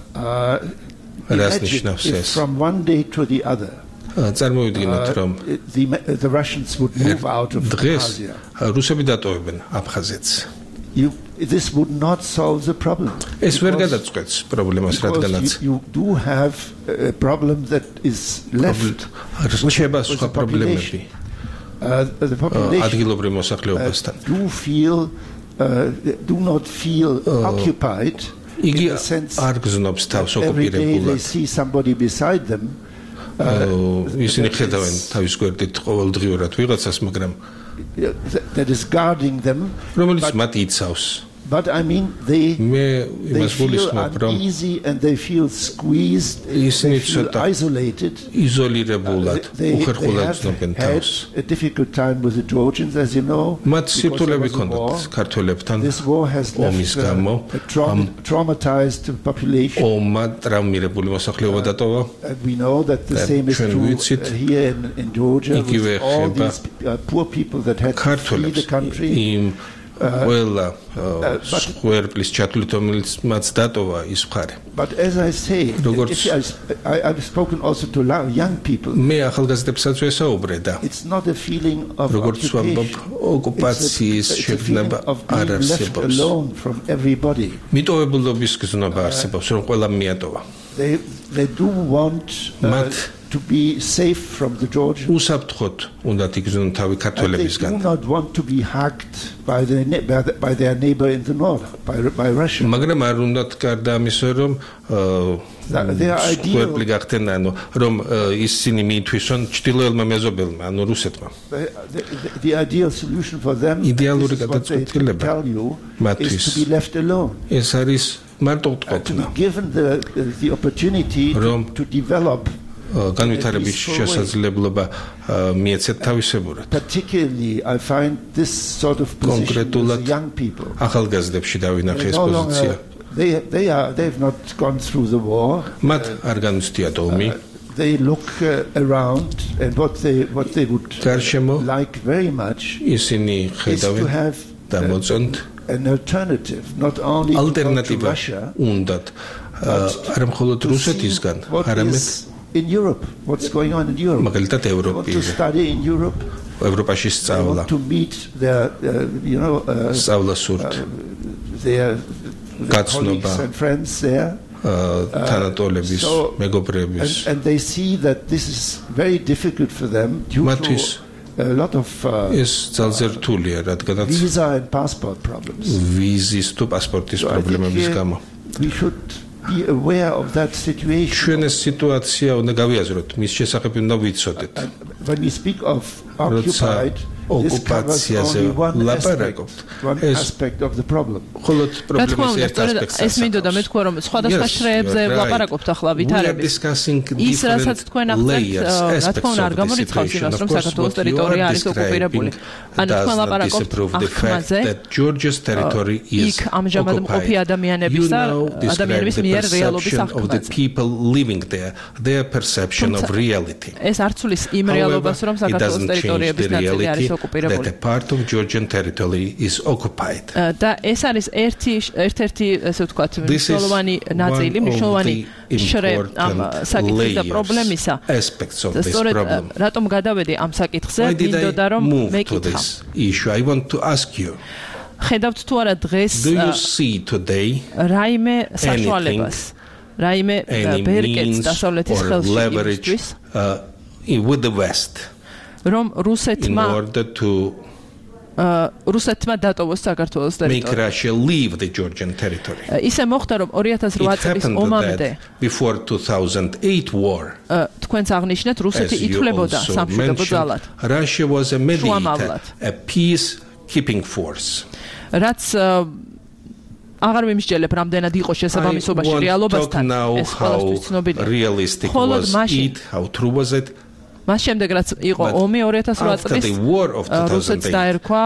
რას ნიშნავს ეს. From one day to the other. წარმოვიდგინოთ რომ the Russians would move out of Abkhazia. რუსები დატოვებენ აფხაზეთს. This would not solve the problem. ეს ვერ გადაწყვეტს პრობლემას, რადგანაც you do have a problem that is left. რჩება სხვა პრობლემები. The population do not feel occupied in the sense that every day they see somebody beside them that is guarding them, but I mean they feel uneasy and they feel squeezed, they feel isolated. They have had a difficult time with the Georgians, as you know. This war has left a traumatized population. And we know that the same is true here in Georgia with all these poor people that had to flee the country. But as I say, I've spoken also to young people. It's not a feeling of occupation. It's a feeling of being left alone from everybody. They do want to be safe from the Georgians. And they do not want to be hacked by their neighbor in the north, by Russia. Their the ideal solution for them is what they tell you is to be left alone. To be given the opportunity to develop particularly I find this sort of position with young people. They've not gone through the war. They look around, and what they would like very much is to have an alternative, not only to go to Russia, but to see what is in Europe, what's going on in Europe. They want to study in Europe. They want to meet their, their colleagues and friends there. And they see that this is very difficult for them due to a lot of visa and passport problems. We should be aware of that situation. When we speak of occupied, this covers only one aspect of the problem. ეს მინდოდა მე თქვა რომ სხვადასხვა შრეებზე ვლაპარაკობთ ახლა ვითარებით. ის რასაც თქვენ ახსენეთ, რა თქმა უნდა არ გამორიცხავს იმას რომ საქართველოს ტერიტორია არის ოკუპირებული. ანუ თქვენ ლაპარაკობთ ახმაზე, იქ ამჟამად მყოფი ადამიანების და ადამიანების მიერ რეალობის ახმაზე. ეს არ ცulis იმ რეალობას რომ საქართველოს ტერიტორიების ნაწილი არის ოკუპირებული. That a part of Georgian territory is occupied. და ეს არის ერთ-ერთი ესე ვთქვათ მნიშვნელოვანი ნაწილი, მნიშვნელოვანი შრე ამ საკითხის და პრობლემისა. სწორედ რატომ გადავედი ამ საკითხზე, მინდოდა რომ მეკითხა. I want to ask you. ხედავთ თუ არა დღეს რაიმე საშუალებას, რაიმე ბერკეტს დასავლეთის ხელში იმისთვის with the West. რომ რუსეთმა დატოვოს საქართველოს ტერიტორია. Make Russia leave the Georgian territory. ისე მოხდა რომ 2008 წლის ომამდე before 2008 war. თქვენც აღნიშნეთ რუსეთი ითვლებოდა სამშვიდობო ძალად. Russia was a mediator, a peace keeping force. რაც აღარ ვიმსჯელებ რამდენად იყო შესაბამისობაში რეალობასთან ეს ყველასთვის ცნობილია. Realistic was it, how true was it? მას შემდეგ რაც იყო ომი 2008 წლის რუსეთს დაერქვა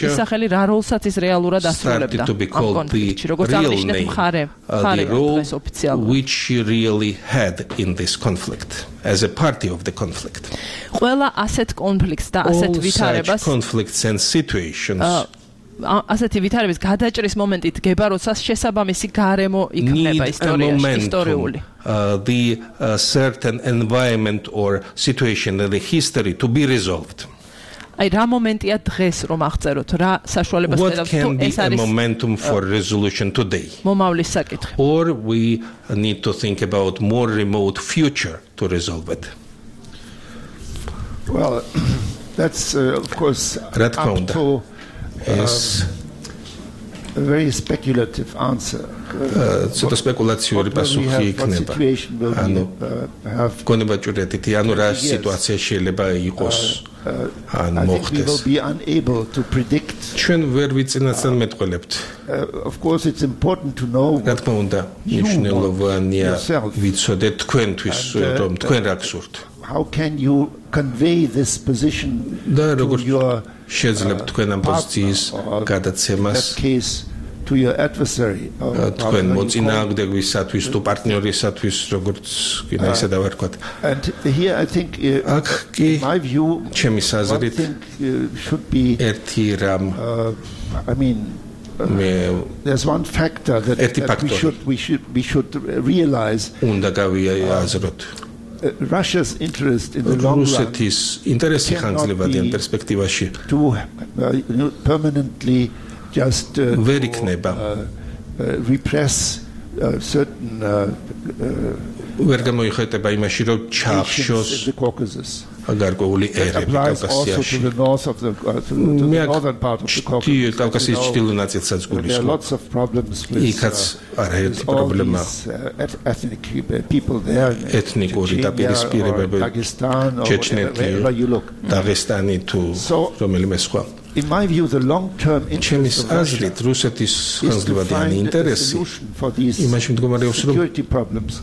ისახელი რა როლსაც ის რეალურად ასრულებდა ამ კონფლიქტში როგორც აღნიშნეთ მხარე დღეს ოფიციალურად which really had in this conflict as a party of the conflict ყველა ასეთ კონფლიქტს და ასეთ ვითარებას conflicts and situations ასეთი ვითარების გადაჭრის მომენტით გება როცა შესაბამისი გარემო იქნება ისტორიული the certain environment or situation in the history to be resolved. აი რა მომენტია დღეს რომ აღწეროთ რა საშუალებას ხედავთ თუ ეს არის momentum for resolution today. მომავლის საკითხი. Or we need to think about more remote future to resolve it. Well, that's of course up to a very speculative answer. ცოტა სპეკულაციური პასუხი იქნება. ანუ გონება ჭურეთითი, ანუ რა სიტუაცია შეიძლება იყოს ან მოხდეს. We will be unable to predict. ჩვენ ვერ ვიცინასწარმეტყველებთ. Of course it's important to know. რა თქმა უნდა, მნიშვნელოვანია ვიცოდეთ თქვენთვის რომ თქვენ რა გსურთ. How can you convey this position to your შეძლებთ თქვენ ამ პოზიციის გადაცემას to your adversary თქვენ მოწინააღმდეგისათვის თუ პარტნიორისათვის როგორც კიდე ისე დავარქვათ and here I think in my view ჩემი საზრით should be ერთი რამ I mean there's one factor that we should realize უნდა გავიაზროთ Russia's interest in the long run to permanently just repress certain ვერ გამოიხატება იმაში რომ ჩახშოს გარკვეული ერები კავკასიაში კავკასიის ჩრდილო ნაწილსაც გულისხმობს იქაც არაერთი პრობლემა ეთნიკური დაპირისპირებები ჩეჩნეთი დაღესტანი თუ რომელიმე სხვა In my view, the long-term interest of Russia is to find a solution for these security problems.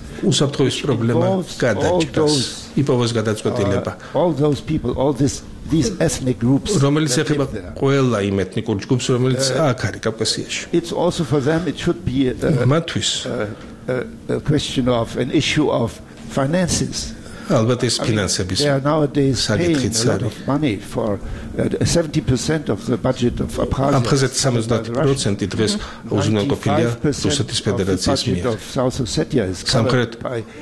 All those people, all these ethnic groups. It's also for them, it should be a question of an issue of finances. ალბათ ეს ფინანსების საკითხიც არის. 70% of the budget of Abkhazia. აფხაზეთის 70% დღეს უზრუნველყოფილია რუსეთის ფედერაციის მიერ. სამხრეთ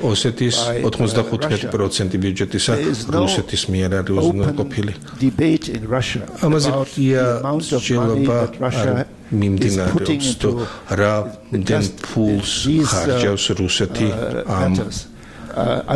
ოსეთის 95% ბიუჯეტისა რუსეთის მიერ არის უზრუნველყოფილი. ამაზე მსჯელობა არ მიმდინარეობს თუ რა ფულს ხარჯავს რუსეთი ამ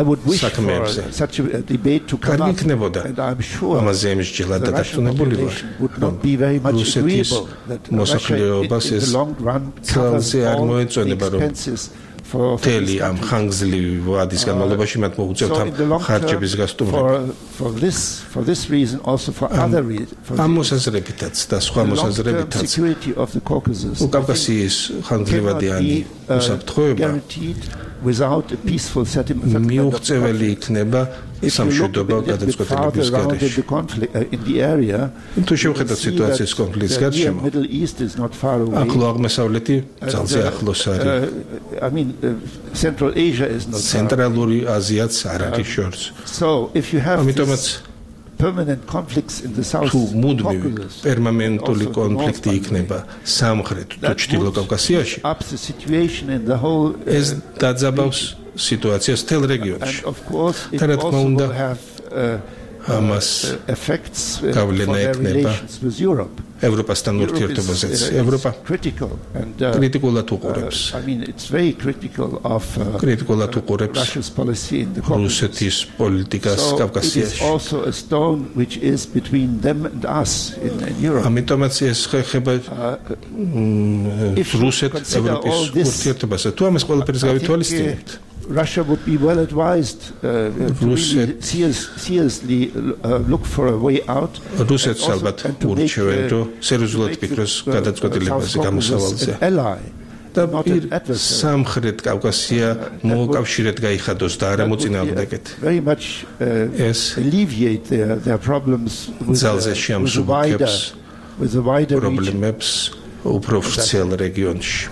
I would wish for such a debate to come up, and I'm sure the Russian population would not be very much agreeable that Russia in the long run covers all the expenses for teli am ხანგრძლივი ვადის განმავლობაში მათ მოუწევთ ამ ხარჯების გასტუმრება. For this reason, also for other reasons. ამ მოსაზრებითაც და სხვა მოსაზრებითაც უკავკასიის ხანგრძლივადიანი უსაფრთხოება without a peaceful settlement მიუღწეველი იქნება სამშვიდობო გადაწყვეტილების გარეშე. In the area, თუ შევხედოთ სიტუაციის კონფლიქტის გარშემო, Middle East is not far away. ახლო აღმოსავლეთი ძალზე ახლოს არის. I mean, Central Asia is not far away. ცენტრალური აზიაც არ არის შორს. So if you have permanent conflicts in the South Caucasus, პერმანენტული კონფლიქტი იქნება სამხრეთ თუ ჩრდილო კავკასიაში, ეს დაძაბავს სიტუაციას მთელ რეგიონში. და რა თქმა უნდა, ამას გავლენა ექნება ევროპასთან ურთიერთობაზეც. ევროპა კრიტიკულად უყურებს. კრიტიკულად უყურებს რუსეთის პოლიტიკას კავკასიაში. ამიტომაც ეს ხება რუსეთ-ევროპის ურთიერთობაზე. თუ ამას ყველაფერს გავითვალისწინებთ, Russia would be well advised to seriously look for a way out. რუსეთს ალბათ ურჩევენ, რომ სერიოზულად ფიქროს გადაწყვეტილებაზე გამოსავალზე. და სამხრეთ კავკასია მოუკავშირეთ გაიხადოს და არა მოწინააღმდეგეთ. Very much alleviate their problems with the wider პრობლემებს უფრო ვრცელ რეგიონში.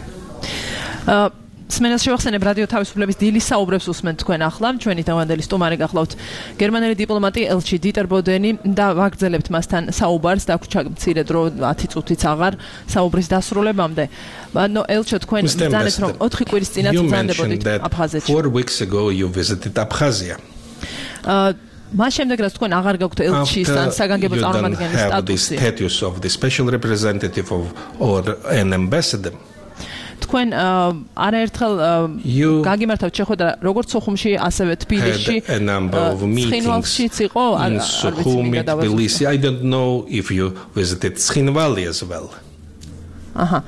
სმენელს შევახსენებ რადიო თავისუფლების დილის საუბრებს უსმენთ თქვენ ახლა. ჩვენი თავდადელი სტუმარი გახლავთ გერმანელი დიპლომატი ელჩი დიტერ ბოდენი და ვაგრძელებთ მასთან საუბარს. დაგვრჩა მცირე დრო 10 წუთიც აღარ საუბრის დასრულებამდე. ანუ ელჩო თქვენ ბრძანეთ რომ 4 კვირის წინათ ბრძანდებოდით აფხაზეთში. 4 weeks ago you visited Abkhazia. მას შემდეგ რაც თქვენ აღარ გაქვთ ელჩის ან საგანგებო წარმომადგენლის სტატუსი. The status of the special representative or an ambassador. თქვენ არაერთხელ გაგიმართავთ შეხვედრა როგორც სოხუმში, ასევე თბილისში, ცხინვალშიც იყო, არ ვიცი მინდა დავასრულო. I don't know if you visited Ცხინვალი as well. აჰა.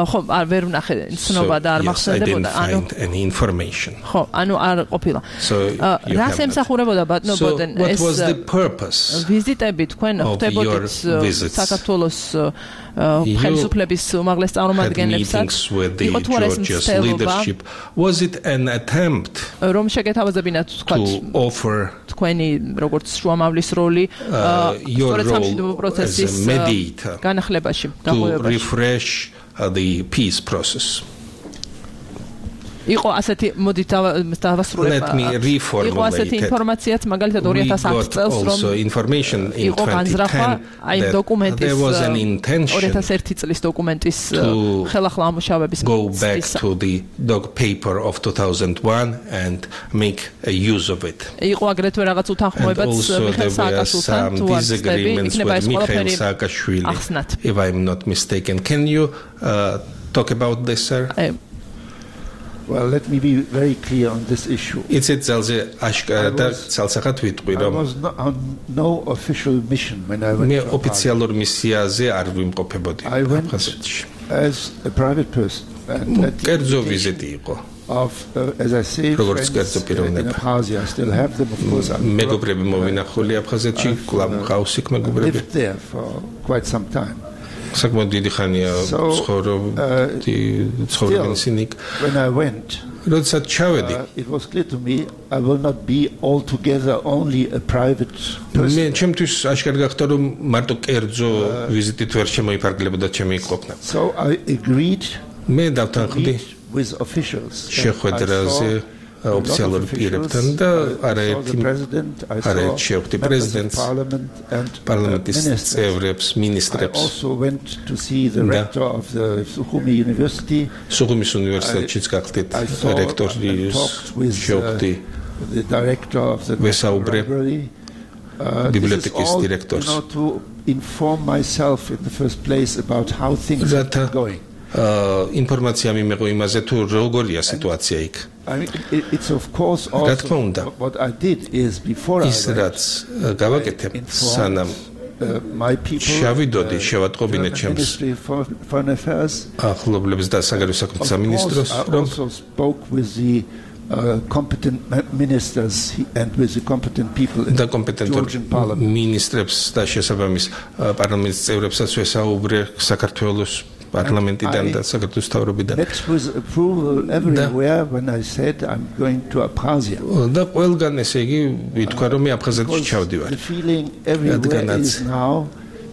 ხო, ვერ ვნახე ცნობა და არ მახსენდებოდა, ანუ any information. ხო, ანუ არ ყოფილა. რას ემსახურებოდა ბატონო ბოდენ ეს What was the purpose? ვიზიტები თქვენ ხდებოდით საქართველოს ხელისუფლების უმაღლეს წარმომადგენლებსაც იყო თუ არა ეს მცდელობა was it an attempt რომ შეგეთავაზებინათ თქვათ თქვენი როგორც შუამავლის როლი სწორედ სამშვიდობო პროცესის განახლებაში to refresh the peace process იყო ასეთი მოდით დავასრულებ იყო ასეთი ინფორმაციაც მაგალითად 2010 წელს რომ იყო განზრახვა აი დოკუმენტის 2001 წლის დოკუმენტის ხელახლა ამუშავების go back to the dog paper of 2001 and make a use of it იყო აგრეთვე რაღაც უთანხმოებაც მიხეილ სააკაშვილთან თუ არ ვცდები იქნება ეს ყველაფერი ახსნათ if I'm not mistaken can you talk about this sir Well, let me be very clear on this issue. It's ძალზე აშკარა და ცალსახად ვიტყვი რომ I was on no official mission when I went. მე ოფიციალურ მისიაზე არ ვიმყოფებოდი აფხაზეთში. As a private person and კერძო ვიზიტი იყო. As I say, როგორც კერძო პიროვნება. I still have them of course. მეგობრები მოვინახული აფხაზეთში, კლავ მყავს იქ მეგობრები. Lived there for quite some time. საკმაოდ დიდი ხანია ცხოვრობენ when I went როდესაც ჩავედი it was clear to me I will not be altogether only a private person მე ჩემთვის აშკარა გახდა რომ მარტო კერძო ვიზიტით ვერ შემოიფარგლებოდა ჩემი ყოფნა so I agreed მე დავთანხმდი with officials შეხვედრაზე ოფიციალურ პირებთან და არაერთი შეხვდი პრეზიდენტს, პარლამენტის წევრებს, მინისტრებს. სუხუმის უნივერსიტეტშიც გახდით რექტორის შეხვდი ვესაუბრე ბიბლიოთეკის დირექტორს. Inform myself in the first place about how things are going. ინფორმაცია მიმეღო იმაზე თუ როგორია სიტუაცია იქ. I mean, it's of course also what I did is before I გავაკეთე სანამ my people შევიდოდი შევატყობინე ჩემს ახლობლებს და საგარეო საქმეთა სამინისტროს რომ spoke with the competent ministers and with the competent people in the Georgian parliament. Ministrებს და შესაბამის პარლამენტის წევრებსაც ვესაუბრე საქართველოს პარლამენტიდან და საქართველოს თავრობიდან. Met with approval everywhere when I said I'm going to Abkhazia. და ყველგან ესე იგი ვიტყვა რომ მე აფხაზეთში ჩავდივარ. The feeling everywhere is now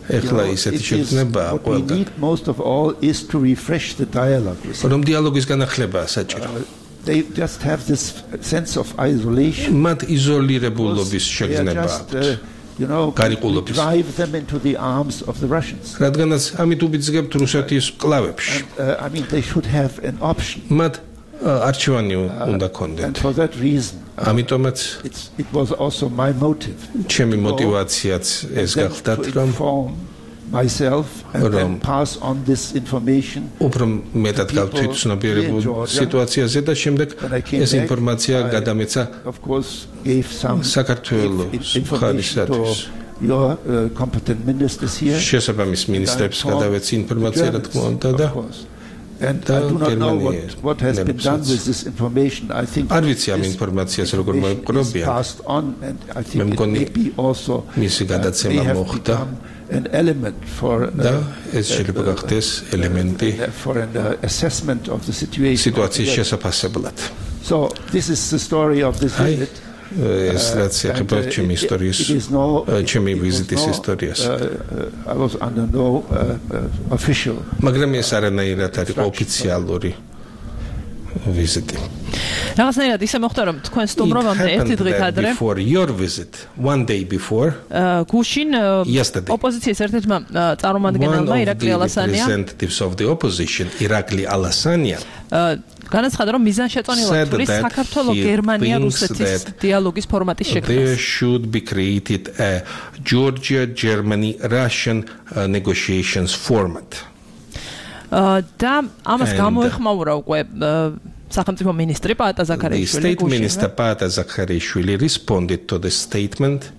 ეხლა ისეთი შექმნებაა ყველგან. What we need most of all is to refresh the dialogue. რომ დიალოგის განახლებაა საჭირო. They just have this sense of isolation. მათ იზოლირებულობის შეგრძნება აქვთ. Drive them into the arms of the Russians. რადგანაც ამით უბიძგებთ რუსეთის კლავებში. I mean they should have an option. მათ არჩევანი უნდა ქონდეთ. And for that reason ამიტომაც it was also my motive. ჩემი მოტივაციაც ეს გახდათ რომ myself and then pass on this information. უფრო მეტად გავთვითცნობიერებულ სიტუაციაზე და შემდეგ ეს ინფორმაცია გადამეცა of course gave some საქართველოს მხარისათვის your competent ministers here. შესაბამის მინისტრებს გადავეცი ინფორმაცია რა თქმა უნდა და And I do not know what has been done with this information. I think არ ვიცი ამ ინფორმაციას როგორ მოიპყრობიან. Passed on and I think it may be also მისი გადაცემა მოხდა. An element for ეს შეიძლება გახდეს ელემენტი for an assessment of the situation. სიტუაციის შესაფასებლად. So this is the story of this visit. ეს რაც ეხება ჩემი ისტორიის ჩემი ვიზიტის ისტორიას. I was under no official. მაგრამ ეს არანაირად არ იყო ოფიციალური ვიზიტი. რაღაცნაირად ისე მოხდა რომ თქვენ სტუმრობამდე ერთი დღით ადრე for your visit one day before გუშინ ოპოზიციის ერთ-ერთმა წარმომადგენელმა ირაკლი ალასანია representatives of the opposition ირაკლი ალასანია განაცხადა რომ მიზანშეწონილად თulis საქართველოს გერმანია რუსეთის დიალოგის ფორმატის შექმნა. There should be created a Georgia Germany Russian negotiations format. და ამას გამოეხმაურა უკვე სახელმწიფო მინისტრი პაატა ზაქარიაშვილი. The state minister Paata Zakharishvili responded to the statement.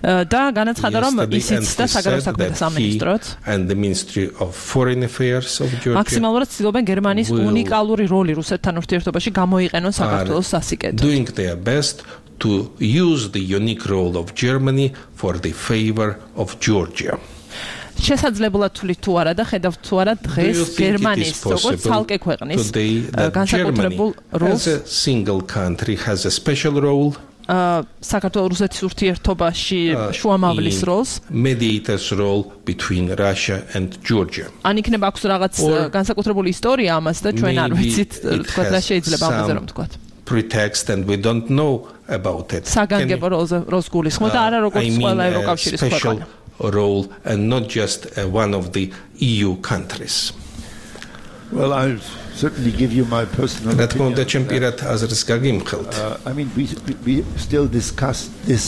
და განაცხადა რომ ისიც და საგარეო საქმეთა სამინისტროც and the Ministry of Foreign Affairs of Georgia მაქსიმალურად ცდილობენ გერმანიის უნიკალური როლი რუსეთთან ურთიერთობაში გამოიყენონ საქართველოს სასიკეთოდ. Doing their best to use the unique role of Germany for the favor of Georgia. შესაძლებლად თulit თუ არა და ხედავთ თუ არა დღეს გერმანიის როგორც ცალკე ქვეყნის განსაკუთრებულ როლს a single country has a special role საქართველოს რუსეთის ურთიერთობაში შუამავლის როლს mediator's role between Russia and Georgia. ან იქნება აქვს რაღაც განსაკუთრებული ისტორია ამას და ჩვენ არ ვიცით თქვა რა შეიძლება ამაზე რომ თქვა. Pretext and we don't know about it. საგანგებო როლს გულისხმობ და არა როგორც ყველა ევროკავშირის ქვეყანა. Role and not just one of the EU countries. Well, I'll certainly give you my personal opinion. I mean, we still discussed this.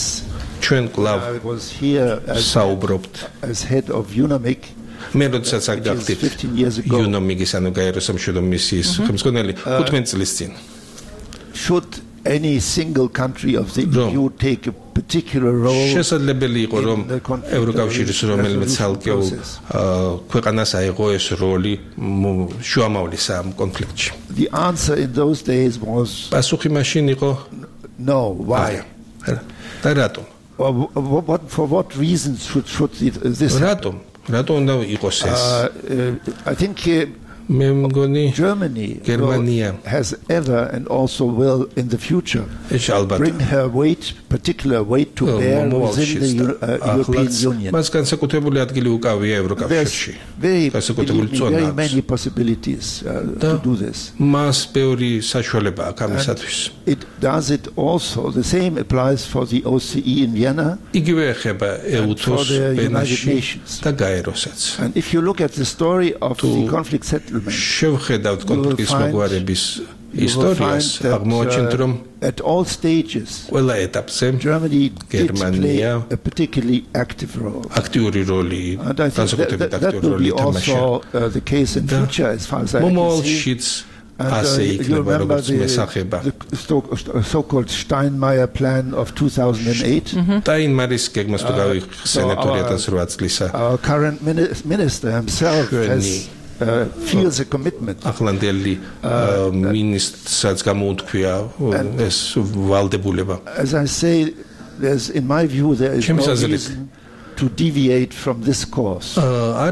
I was here as head of UNAMIC. მე როდესაც აგახდი 15 years ago. UNAMIC-ის ანუ გაერო სამშვიდობო მისიის ხელმძღვანელი 15 წლის წინ. Should any single country of the EU take a particular role? შესაძლებელი იყო რომ ევროკავშირის რომელიმე ცალკეულ ქვეყანას აიღო ეს როლი შუამავლის ამ კონფლიქტში. The answer in those days was პასუხი მაშინ იყო no. Why? და რატომ? For what reasons should this რატომ უნდა იყოს ეს? I think Germany has ever and also will in the future bring her particular weight to bear within the European Union. There's very many possibilities to do this. It does it also. The same applies for the OCE in Vienna and for the United Nations. And if you look at the story of the conflict settlement, you will find that at all stages, Germany did play a particularly active role. And I think that will be also the case in future, as far as I can see. And you remember the so-called Steinmeier plan of 2008? Our current minister himself feels a commitment. As I say, in my view, there is no reason to deviate from this course. So I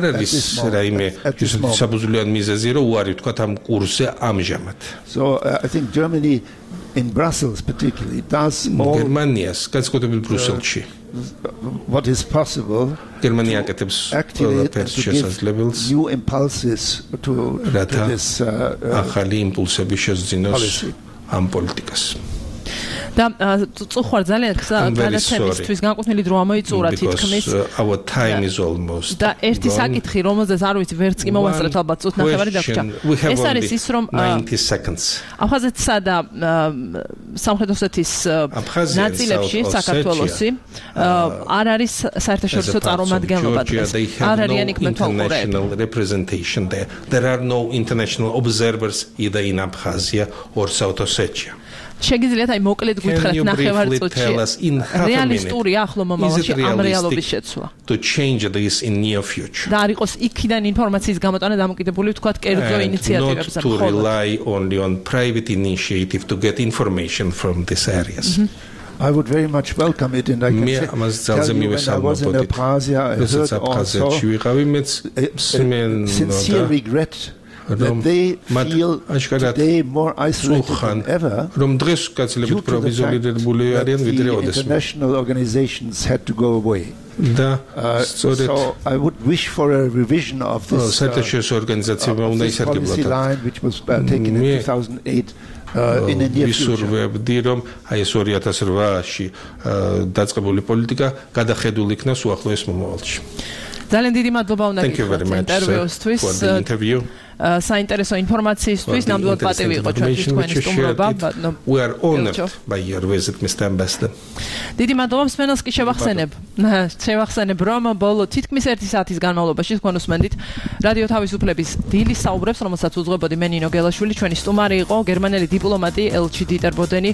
think Germany, in Brussels particularly, does all what is possible to activate and to give new impulses to this policy. და წუხარ ძალიან გადაცემისთვის განკუთვნილი დრო ამოიწურა თითქმის our time is almost და ერთი საკითხი რომელზეც არ ვიცი ვერც კი მოვასწრებთ ალბათ წუთ ნახევარი დაგჭა ეს არის ის რომ 90 seconds აფხაზეთსა და სამხრეთ ოსეთის ნაწილებში საქართველოსი არ არის საერთაშორისო წარმომადგენლობა დღეს არ არიან იქ representation there are no international observers either in Abkhazia or South Ossetia. შეგიძლიათ აი მოკლედ გითხრათ ნახევარ წუთში რეალისტური ახლო მომავალში ამ რეალობის შეცვლა to change this in near future და არ იყოს იქიდან ინფორმაციის გამოტანა დამოკიდებული ვთქვათ კერძო ინიციატივებზე to rely only on private initiative to get information from these areas I would very much welcome it, and I can tell you when I was in Abkhazia, I heard also sincere regret that they feel today more isolated than ever due to the fact that the international organizations had to go away. So I would wish for a revision of this policy line which was taken in 2008 in the near future. ძალიან დიდი მადლობა უნდა გითხრათ ინტერვიუსთვის. საინტერესო ინფორმაციისთვის ნამდვილად პატივი იყო ჩვენთვის თქვენი სტუმრობა. We are honored by your visit, Mr. Ambassador. დიდი მადლობა მსმენელს კი შევახსენებ რომ ბოლო თითქმის 1 საათის განმავლობაში თქვენ უსმენდით რადიო თავისუფლების დილის საუბრებს, რომელსაც უძღვებოდი მე ნინო გელაშვილი. ჩვენი სტუმარი იყო გერმანელი დიპლომატი ელჩი დიტერ ბოდენი.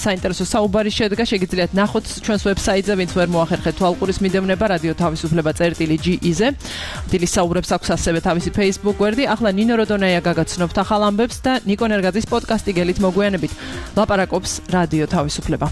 საინტერესო საუბარი შედგა, შეგიძლიათ ნახოთ ჩვენს ვებსაიტზე, ვინც ვერ მოახერხეთ თვალყურის მიდევნება რადიო თავისუფლება.ge-ზე. დილის საუბრებს აქვს ასევე თავისი Facebook გვერდი. ახლა ნინო როდონაია გაგაცნობთ ახალ ამბებს და ნიკო ნერგაძის პოდკასტი გელით მოგვიანებით ლაპარაკობს რადიო თავისუფლება.